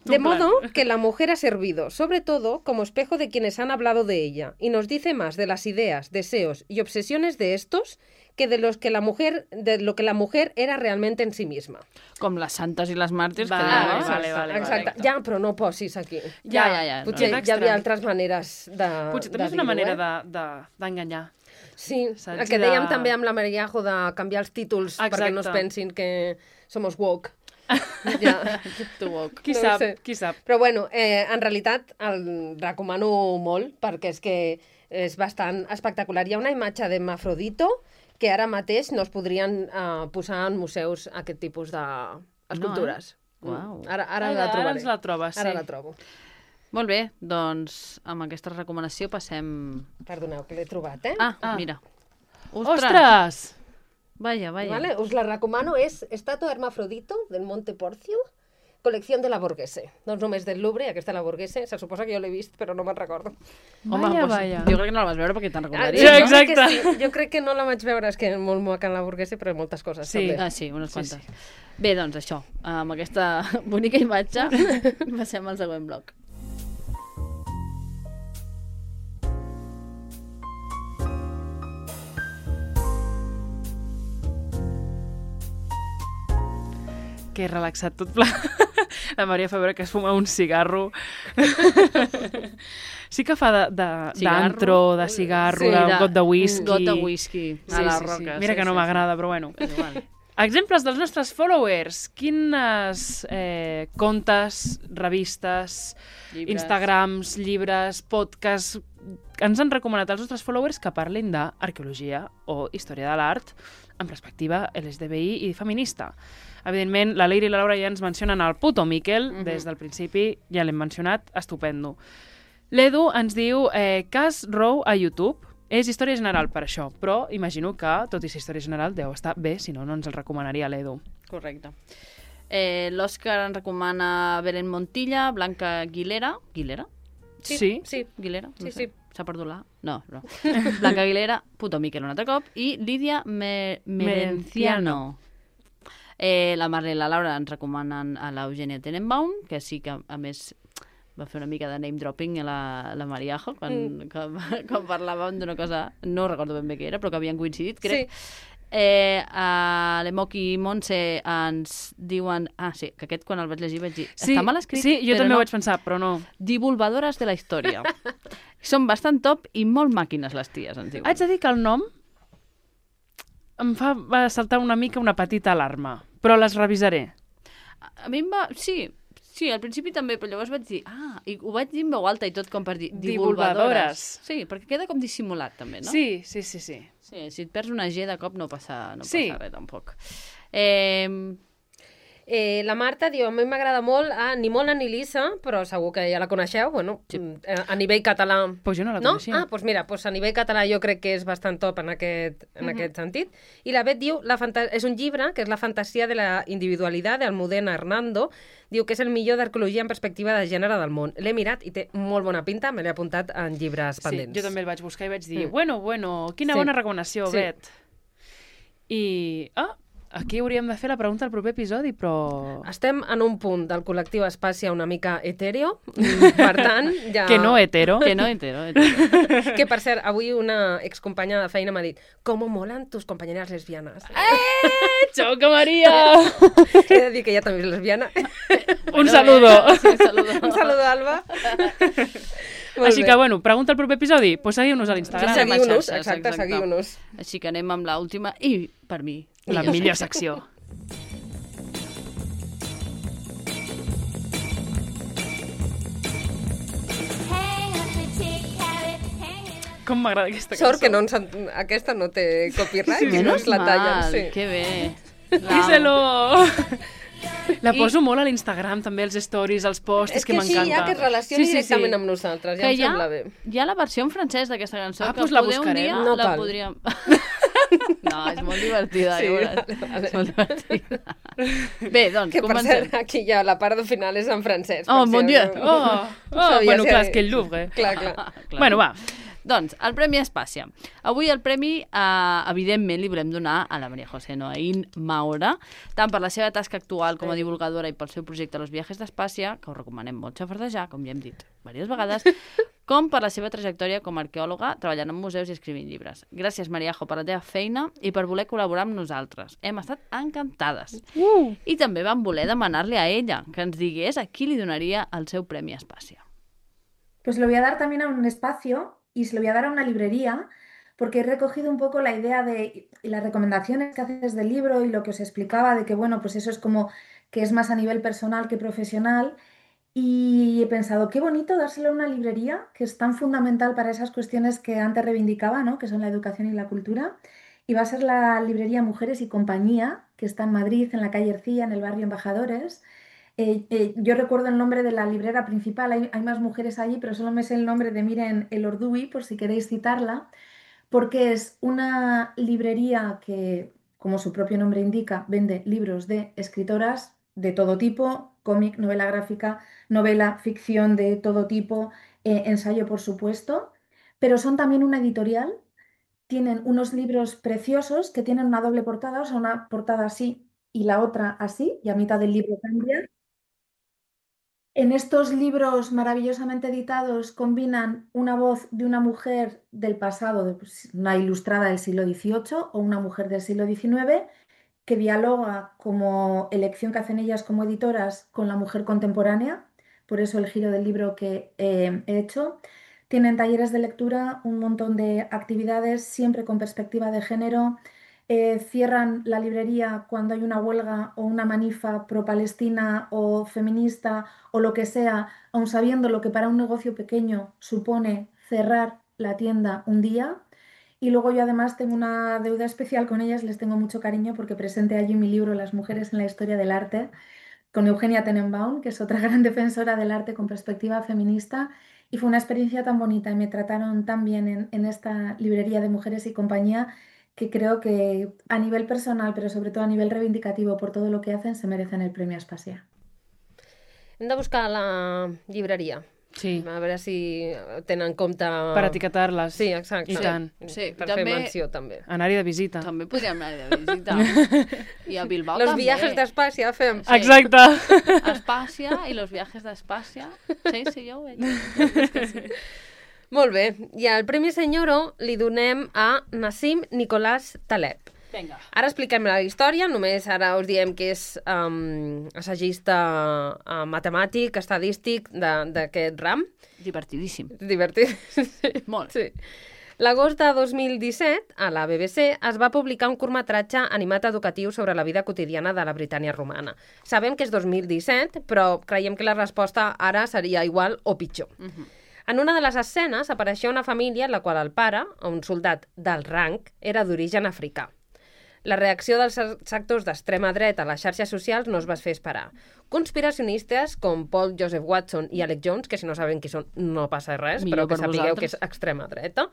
De modo que la mujer ha servido, sobre todo, como espejo de quienes han hablado de ella, y nos dice más de las ideas, deseos y obsesiones de estos que de lo que la mujer era realmente en sí misma. Com les santes i les màrtirs. Vale. Exacte. Ja, però no posis aquí. Ja. Potser no. hi havia altres maneres de Potser també és una manera d'enganyar. Sí, Saps? el que dèiem també amb la Mariajo de canviar els títols perquè no es pensin que somos woke. Ja. Qui No sap, sé. qui sap. Però bueno, en realitat el recomano molt perquè és que és bastant espectacular. Hi ha una imatge d'Hermafrodito que ara mateix no es podrien posar en museus aquest tipus d'escultures. Uau. Ara la Ara trobaré. ens la trobes, sí. Ara la trobo. Molt bé, doncs amb aquesta recomanació passem... Perdoneu, que l'he trobat, eh? Mira. Ostres! Vaya. Vale, us la recomano, és Estatua Hermafrodito del Monte Porcio, col·lecció de la Borghese. Doncs només del Louvre, aquesta la Borghese, se suposa que jo l'he vist, però no me'n recordo. Vaya. Jo crec que no la vas veure perquè te'n Ah, recordaries. Ja, no? exacte. Que sí. Jo crec que no la vaig veure, és que és molt maca en la Borghese, però moltes coses. Sí. també. Sí, unes quantes. Bé, doncs això, amb aquesta bonica imatge passem al següent bloc. Que relaxat tot pla. La Maria fa veure que es fuma un cigarro. Sí que fa d'antro, de cigarro, d'un got de whisky. Un got de whisky a la roca. Mira que no m'agrada, però bueno. És igual. Exemples dels nostres followers. Quines contes, revistes, Llibres. Instagrams, llibres, podcasts ens han recomanat els nostres followers que parlin d'arqueologia o història de l'art amb perspectiva LGTBI i feminista. Evidentment, la Leire i la Laura ja ens mencionen el puto Miquel, des del principi ja l'hem mencionat, estupendo. L'Edu ens diu Cas Row a YouTube. És història general per això, però imagino que, tot i ser història general, deu estar bé, si no, no ens el recomanaria l'Edu. Correcte. L'Òscar ens recomana Belén Montilla, Blanca Aguilera. Aguilera? Sí? Aguilera? No Sí, sé. sí. S'ha perdut la... No. Blanca Aguilera, puto Miquel un altre cop, i Lídia Merenciano. La Marla i la Laura ens recomanen a l'Eugènia Tenenbaum, que sí que, a més, va fer una mica de name dropping a la Mariajo, quan parlàvem d'una cosa, no recordo ben bé què era, però que havien coincidit, crec. Sí. A l'Emoc i Montse ens diuen... Sí, que aquest quan el vaig llegir vaig dir... Sí, està mal escrit, sí, jo però també no. ho vaig pensar, però no. Divulgadores de la història. Són bastant top i molt màquines les ties, ens diuen. Haig de dir que el nom em fa saltar una mica una petita alarma, però les revisaré. A mi em va... Sí, al principi també, però llavors vaig dir... i ho vaig dir en veu alta i tot com per dir... Divulgadores. Sí, perquè queda com dissimulat també, no? Sí. Sí, si et perds una G de cop no passa res tampoc. La Marta diu, a mi m'agrada molt ni Mona ni Lisa, però segur que ja la coneixeu, bueno, a nivell català... Pues jo no la no? coneixia. Doncs mira, a nivell català jo crec que és bastant top en aquest sentit. I la Bet diu, és un llibre que és La fantasia de la individualitat d'Almudena Hernando, diu que és el millor d'arqueologia en perspectiva de gènere del món. L'he mirat i té molt bona pinta, me l'he apuntat en llibres pendents. Sí, jo també el vaig buscar i vaig dir, bueno, quina bona recomanació, Bet. I... aquí hauríem de fer la pregunta al proper episodi, però... Estem en un punt del col·lectiu Espàcia una mica etèreo, per tant, ja... Que no hetero. Que no hetero. Que, per cert, avui una excompanya de feina m'ha dit «¿Cómo molan tus compañeras lesbianas?» Xoca, Maria! He de dir que ella també és lesbiana. Un saludo. Sí, un saludo. Un saludo, Alba. Així que, bueno, pregunta al proper episodi, doncs seguiu-nos a l'Instagram. Seguiu-nos, xarxes, exacte, exacte. seguiu-nos. Així que anem amb l'última i, per mi, La millor secció. Com m'agrada aquesta cançó. Sort que no aquesta no té copyright, si no Menos es la tallen. mal, Sí. que bé. Díselo! La poso molt a l'Instagram, també, els stories, els posts, És que m'encanta. així ja que es relacioni directament amb nosaltres, ja em sembla bé. Hi ha la versió en francès d'aquesta cançó, que doncs la poder un buscarem. dia No la cal. podríem... No, és molt divertida, Sí, ja veuràs. vale. És molt divertida. Bé, doncs, Que per comencem. cert, aquí ja la part final és en francès. Oh, per mon si Dieu! algú- sabia Bueno, si- clar, és que el Louvre. Clar. Clar. Bueno, va. Doncs, el Premi Espàcia. Avui el premi, evidentment, li volem donar a la María José Noaín Maura, tant per la seva tasca actual com a divulgadora i pel seu projecte Los Viajes d'Espàcia, que us recomanem molt xafardejar, com ja hem dit diverses vegades, com per la seva trajectòria com a arqueòloga, treballant en museus i escrivint llibres. Gràcies, Mariajo, per la teva feina i per voler col·laborar amb nosaltres. Hem estat encantades. I també vam voler demanar-li a ella que ens digués a qui li donaria el seu Premi Espàcia. Pues lo voy a dar también a un espacio y se lo voy a dar a una librería porque he recogido un poco la idea de y las recomendaciones que haces del libro y lo que os explicaba de que, bueno, pues eso es como que es más a nivel personal que profesional y he pensado, qué bonito dárselo a una librería que es tan fundamental para esas cuestiones que antes reivindicaba, ¿no? Que son la educación y la cultura. Y va a ser la librería Mujeres y Compañía, que está en Madrid, en la calle Ercilla, en el barrio Embajadores. Yo recuerdo el nombre de la librera principal, hay más mujeres allí, pero solo me sé el nombre de Miren El Orduy, por si queréis citarla, porque es una librería que, como su propio nombre indica, vende libros de escritoras de todo tipo, cómic, novela gráfica, novela, ficción de todo tipo, ensayo, por supuesto, pero son también una editorial, tienen unos libros preciosos que tienen una doble portada, o sea, una portada así y la otra así, y a mitad del libro cambia. En estos libros maravillosamente editados combinan una voz de una mujer del pasado, una ilustrada del siglo XVIII o una mujer del siglo XIX, que dialoga como elección que hacen ellas como editoras con la mujer contemporánea, por eso el giro del libro que he hecho. Tienen talleres de lectura, un montón de actividades, siempre con perspectiva de género. Cierran la librería cuando hay una huelga o una manifa pro-palestina o feminista o lo que sea, aun sabiendo lo que para un negocio pequeño supone cerrar la tienda un día. Y luego yo además tengo una deuda especial con ellas, les tengo mucho cariño porque presenté allí mi libro Las mujeres en la historia del arte con Eugenia Tenenbaum, que es otra gran defensora del arte con perspectiva feminista. Y fue una experiencia tan bonita y me trataron tan bien en esta librería de Mujeres y Compañía que creo que a nivel personal, pero sobre todo a nivel reivindicativo por todo lo que hacen, se merecen el Premio Espàcia. Hem de buscar la llibreria. Sí. A veure si tenen en compte... Per etiquetar-les. Sí, exacte. I tant. Sí, Per també- fer menció, també. Anar-hi de visita. També podríem anar de visita. I a Bilbao Los també. viajes d'Espàcia fem. Sí. Exacte. Espàcia i los viajes d'Espàcia. Sí, sí, jo ho veig. Molt bé. I el Premi Senyoro li donem a Nassim Nicolás Taleb. Vinga. Ara expliquem la història, només ara us diem que és assagista matemàtic, estadístic d'aquest ram. Divertidíssim. Divertit. Molt. Sí. L'agost de 2017, a la BBC, es va publicar un curtmetratge animat educatiu sobre la vida quotidiana de la Britània romana. Sabem que és 2017, però creiem que la resposta ara seria igual o pitjor. En una de les escenes apareixia una família en la qual el pare, un soldat d'alt rang, era d'origen africà. La reacció dels sectors d'extrema dreta a les xarxes socials no es va fer esperar. Conspiracionistes com Paul Joseph Watson i Alex Jones, que si no saben qui són no passa res, Millor però que per sapigueu vosaltres. que és extrema dreta,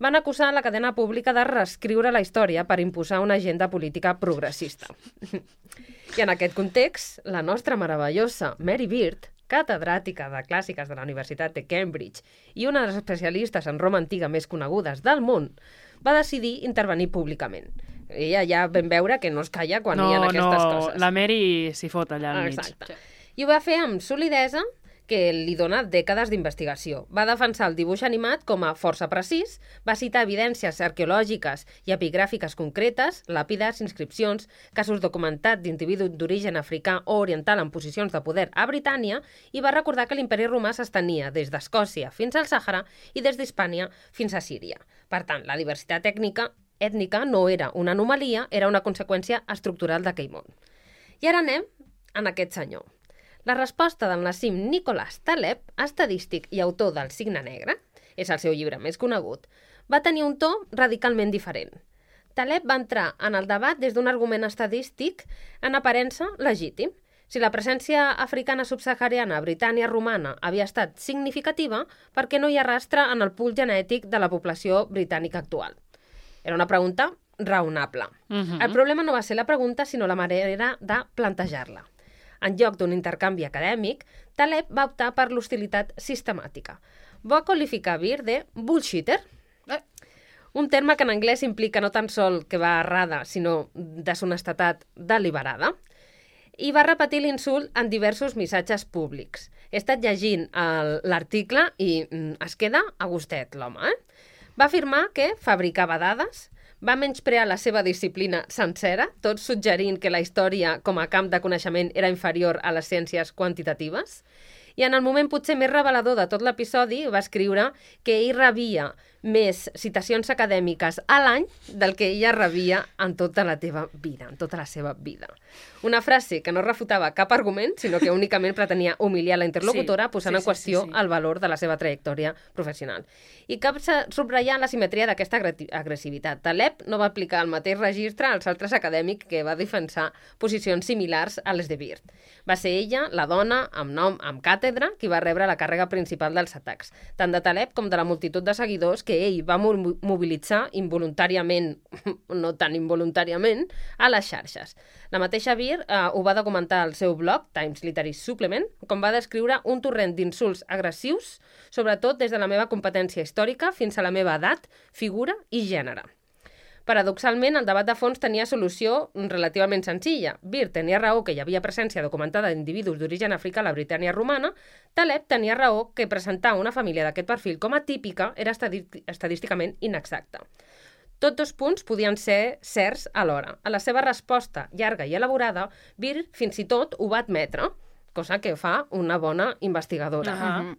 van acusar la cadena pública de reescriure la història per imposar una agenda política progressista. I en aquest context, la nostra meravellosa Mary Beard, catedràtica de clàssiques de la Universitat de Cambridge i una de les especialistes en Roma antiga més conegudes del món, va decidir intervenir públicament. Ella ja vam veure que no es calla quan hi ha aquestes coses. La Mary s'hi fot allà al mig. Exacte. I ho va fer amb solidesa, que li dona dècades d'investigació. Va defensar el dibuix animat com a força precís, va citar evidències arqueològiques i epigràfiques concretes, làpides, inscripcions, casos documentats d'individus d'origen africà o oriental en posicions de poder a Britània i va recordar que l'imperi romà s'estenia des d'Escòcia fins al Sàhara i des d'Hispània fins a Síria. Per tant, la diversitat ètnica no era una anomalia, era una conseqüència estructural d'aquell món. I ara anem en aquest senyor. La resposta del Nassim Nicolás Taleb, estadístic i autor del Signe Negre, és el seu llibre més conegut, va tenir un to radicalment diferent. Taleb va entrar en el debat des d'un argument estadístic en aparença legítim, Si la presència africana subsahariana a Britània romana havia estat significativa, per què no hi ha rastre en el pool genètic de la població britànica actual? Era una pregunta raonable. El problema no va ser la pregunta, sinó la manera de plantejar-la. En lloc d'un intercanvi acadèmic, Taleb va optar per l'hostilitat sistemàtica. Va qualificar Beer de bullshitter, un terme que en anglès implica no tan sol que va errada, sinó deshonestedat deliberada, i va repetir l'insult en diversos missatges públics. He estat llegint l'article i es queda a gustet, l'home. Va afirmar que fabricava dades, va menysprear la seva disciplina sencera, tot suggerint que la història com a camp de coneixement era inferior a les ciències quantitatives, i en el moment potser més revelador de tot l'episodi va escriure que ell rebia més citacions acadèmiques a l'any del que ella rebia en tota la seva vida. Una frase que no refutava cap argument, sinó que únicament pretenia humiliar la interlocutora, posant en qüestió el valor de la seva trajectòria professional. I cal subratllar la simetria d'aquesta agressivitat. Taleb no va aplicar el mateix registre als altres acadèmics que va defensar posicions similars a les de Beer. Va ser ella, la dona, amb nom, amb càtedra, qui va rebre la càrrega principal dels atacs, tant de Taleb com de la multitud de seguidors que ell va mobilitzar involuntàriament, no tan involuntàriament, a les xarxes. La mateixa Beer ho va documentar al seu blog, Times Literary Supplement, com va descriure un torrent d'insults agressius, sobretot des de la meva competència històrica fins a la meva edat, figura i gènere. Paradoxalment, el debat de fons tenia solució relativament senzilla. Beer tenia raó que hi havia presència documentada d'individus d'origen africà a la Britània romana. Taleb tenia raó que presentar una família d'aquest perfil com a típica era estadísticament inexacta. Tots dos punts podien ser certs alhora. A la seva resposta llarga i elaborada, Beer fins i tot ho va admetre, cosa que fa una bona investigadora.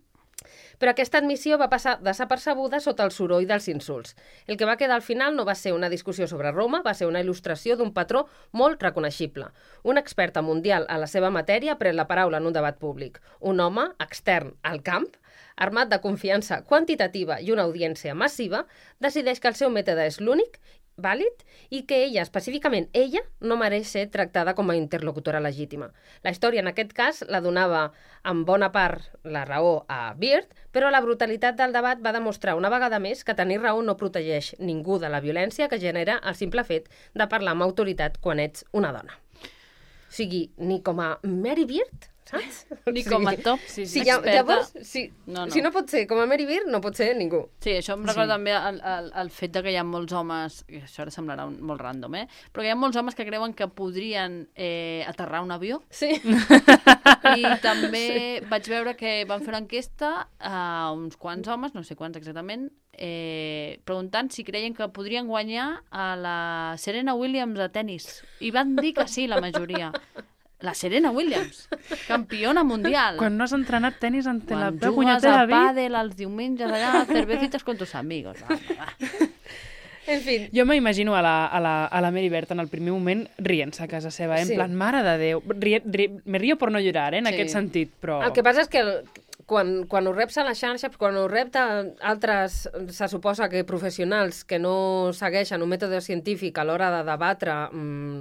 Però aquesta admissió va passar desapercebuda sota el soroll dels insults. El que va quedar al final no va ser una discussió sobre Roma, va ser una il·lustració d'un patró molt reconeixible. Una experta mundial a la seva matèria pren la paraula en un debat públic. Un home extern al camp, armat de confiança quantitativa i una audiència massiva, decideix que el seu mètode és l'únic, vàlid, i que ella, específicament ella, no mereix ser tractada com a interlocutora legítima. La història, en aquest cas, la donava en bona part la raó a Beer, però la brutalitat del debat va demostrar una vegada més que tenir raó no protegeix ningú de la violència que genera el simple fet de parlar amb autoritat quan ets una dona. O sigui, ni com a Mary Beard, saps? Ni com a top llavors, si no pot ser com a Mary Beard, no pot ser ningú. Sí, això em recorda també el fet de que hi ha molts homes, i això ara semblarà molt random, però que hi ha molts homes que creuen que podrien aterrar un avió. Sí. I també vaig veure que van fer una enquesta a uns quants homes, no sé quants exactament, preguntant si creien que podrien guanyar a la Serena Williams a tennis. I van dir que sí, la majoria. La Serena Williams, campiona mundial. Quan no has entrenat tenis ante la teva punyetera vida. Quan jugues a pàdel els diumenges allà, cervecitas con tus amigos. Va. En fi. Jo m'imagino a la Mary Beard en el primer moment rient-se a casa seva, en plan, mare de Déu. Me río por no llorar, en aquest sentit, però... El que passa és que quan ho reps a la xarxa, quan ho rep altres, se suposa que professionals que no segueixen un mètode científic a l'hora de debatre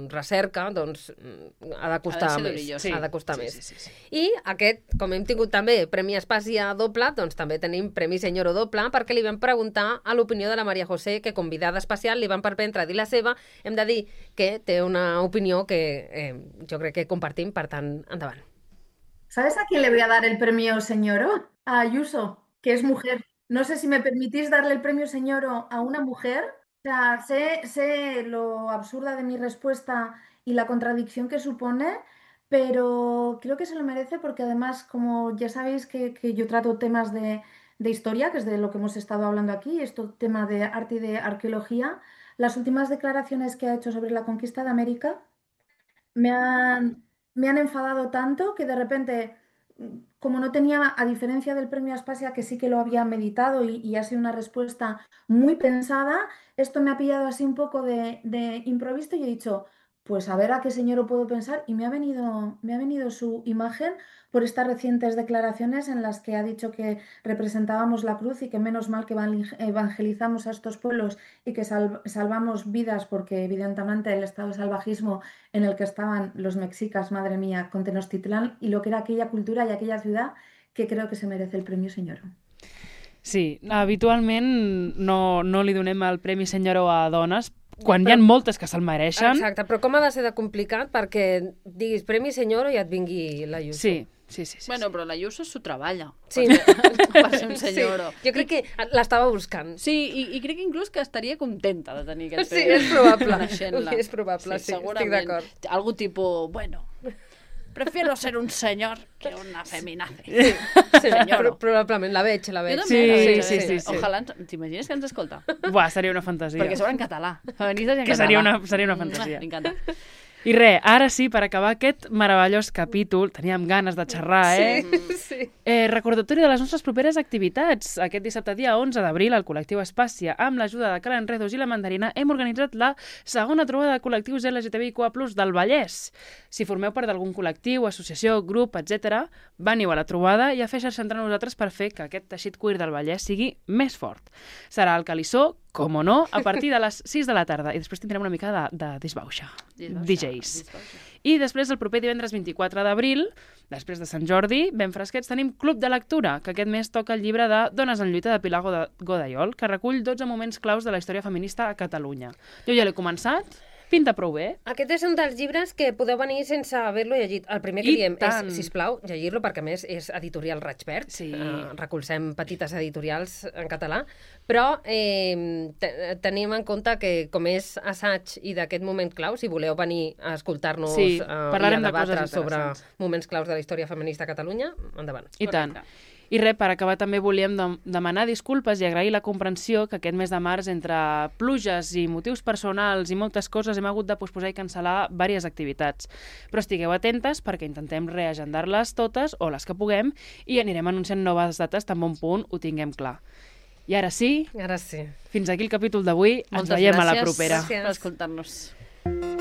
recerca, doncs ha de costar més. Ha de costar més. Sí. I aquest, com hem tingut també Premi Espàcia doble, doncs també tenim Premi Senyoro doble, perquè li vam preguntar a l'opinió de la Maria José, que convidada especial li van permetre dir la seva. Hem de dir que té una opinió que jo crec que compartim, per tant, endavant. ¿Sabes a quién le voy a dar el premio Señoro? A Ayuso, que es mujer. No sé si me permitís darle el premio Señoro a una mujer. O sea, sé lo absurda de mi respuesta y la contradicción que supone, pero creo que se lo merece porque además, como ya sabéis que yo trato temas de historia, que es de lo que hemos estado hablando aquí, esto tema de arte y de arqueología, las últimas declaraciones que ha hecho sobre la conquista de América me han enfadado tanto que de repente, como no tenía, a diferencia del premio Aspasia, que sí que lo había meditado y ha sido una respuesta muy pensada, esto me ha pillado así un poco de improviso y he dicho, pues a ver a qué señor puedo pensar, y me ha venido su imagen por estas recientes declaraciones en las que ha dicho que representábamos la cruz y que menos mal que evangelizamos a estos pueblos y que salvamos vidas, porque evidentemente el estado de salvajismo en el que estaban los mexicas, madre mía, con Tenochtitlán, y lo que era aquella cultura y aquella ciudad, que creo que se merece el Premi Señoro. Sí, habitualment no li donem el Premi Senyoro a dones, quan hi ha moltes que se'l mereixen. Exacte, però com ha de ser de complicat perquè diguis Premi Senyoro i et vingui l'Ayuso? Sí. Bueno, però l'Ayuso s'ho treballa. Sí. Per ser un senyoro. Sí. Jo crec que l'estava buscant. Sí, i crec que inclús que estaria contenta de tenir aquest Sí, premi. és probable. Coneixent-la. És probable, sí, segurament. estic d'acord. Algú tipus, bueno, prefiero ser un señor que una feminazi. Sí, Senyoro. probablement, la veig. Jo també la veig. Sí. Ojalà, t'imagines que ens escolta? Buah, seria una fantasia. Perquè sobre en català. Feministes i en Que català. seria una fantasia. M'encanta. I res, ara sí, per acabar aquest meravellós capítol, teníem ganes de xerrar, Sí. Recordatori de les nostres properes activitats. Aquest dissabte, dia 11 d'abril, el col·lectiu Espàcia, amb l'ajuda de Cal Enredos i la Mandarina, hem organitzat la segona trobada de col·lectius LGTBIQ+ del Vallès. Si formeu part d'algun col·lectiu, associació, grup, etc., veniu a la trobada i afegir-se entre nosaltres per fer que aquest teixit queer del Vallès sigui més fort. Serà al Calissó, com o no, a partir de les 6 de la tarda. I després tindrem una mica de disbauxa. DJs. I després, el proper divendres 24 d'abril, després de Sant Jordi, ben fresquets, tenim Club de Lectura, que aquest mes toca el llibre de Dones en lluita de Pilar Godayol, que recull 12 moments claus de la història feminista a Catalunya. Jo ja l'he començat, pinta prou bé. Aquest és un dels llibres que podeu venir sense haver-lo llegit. El primer que diem és, sisplau, llegir-lo, perquè a més és editorial Raig Verd. Sí. Recolzem petites editorials en català, però tenim en compte que com és assaig i d'aquest moment clau, si voleu venir a escoltar-nos i a debatre sobre moments claus de la història feminista a Catalunya, endavant. I tant. I res, per acabar també volíem demanar disculpes i agrair la comprensió que aquest mes de març, entre pluges i motius personals i moltes coses, hem hagut de posposar i cancel·lar diverses activitats. Però estigueu atentes perquè intentem reagendar-les totes, o les que puguem, i anirem anunciant noves dates tan bon punt ho tinguem clar. I ara sí, Ara sí. fins aquí el capítol d'avui. Ens veiem a la propera. Moltes gràcies per escoltar-nos.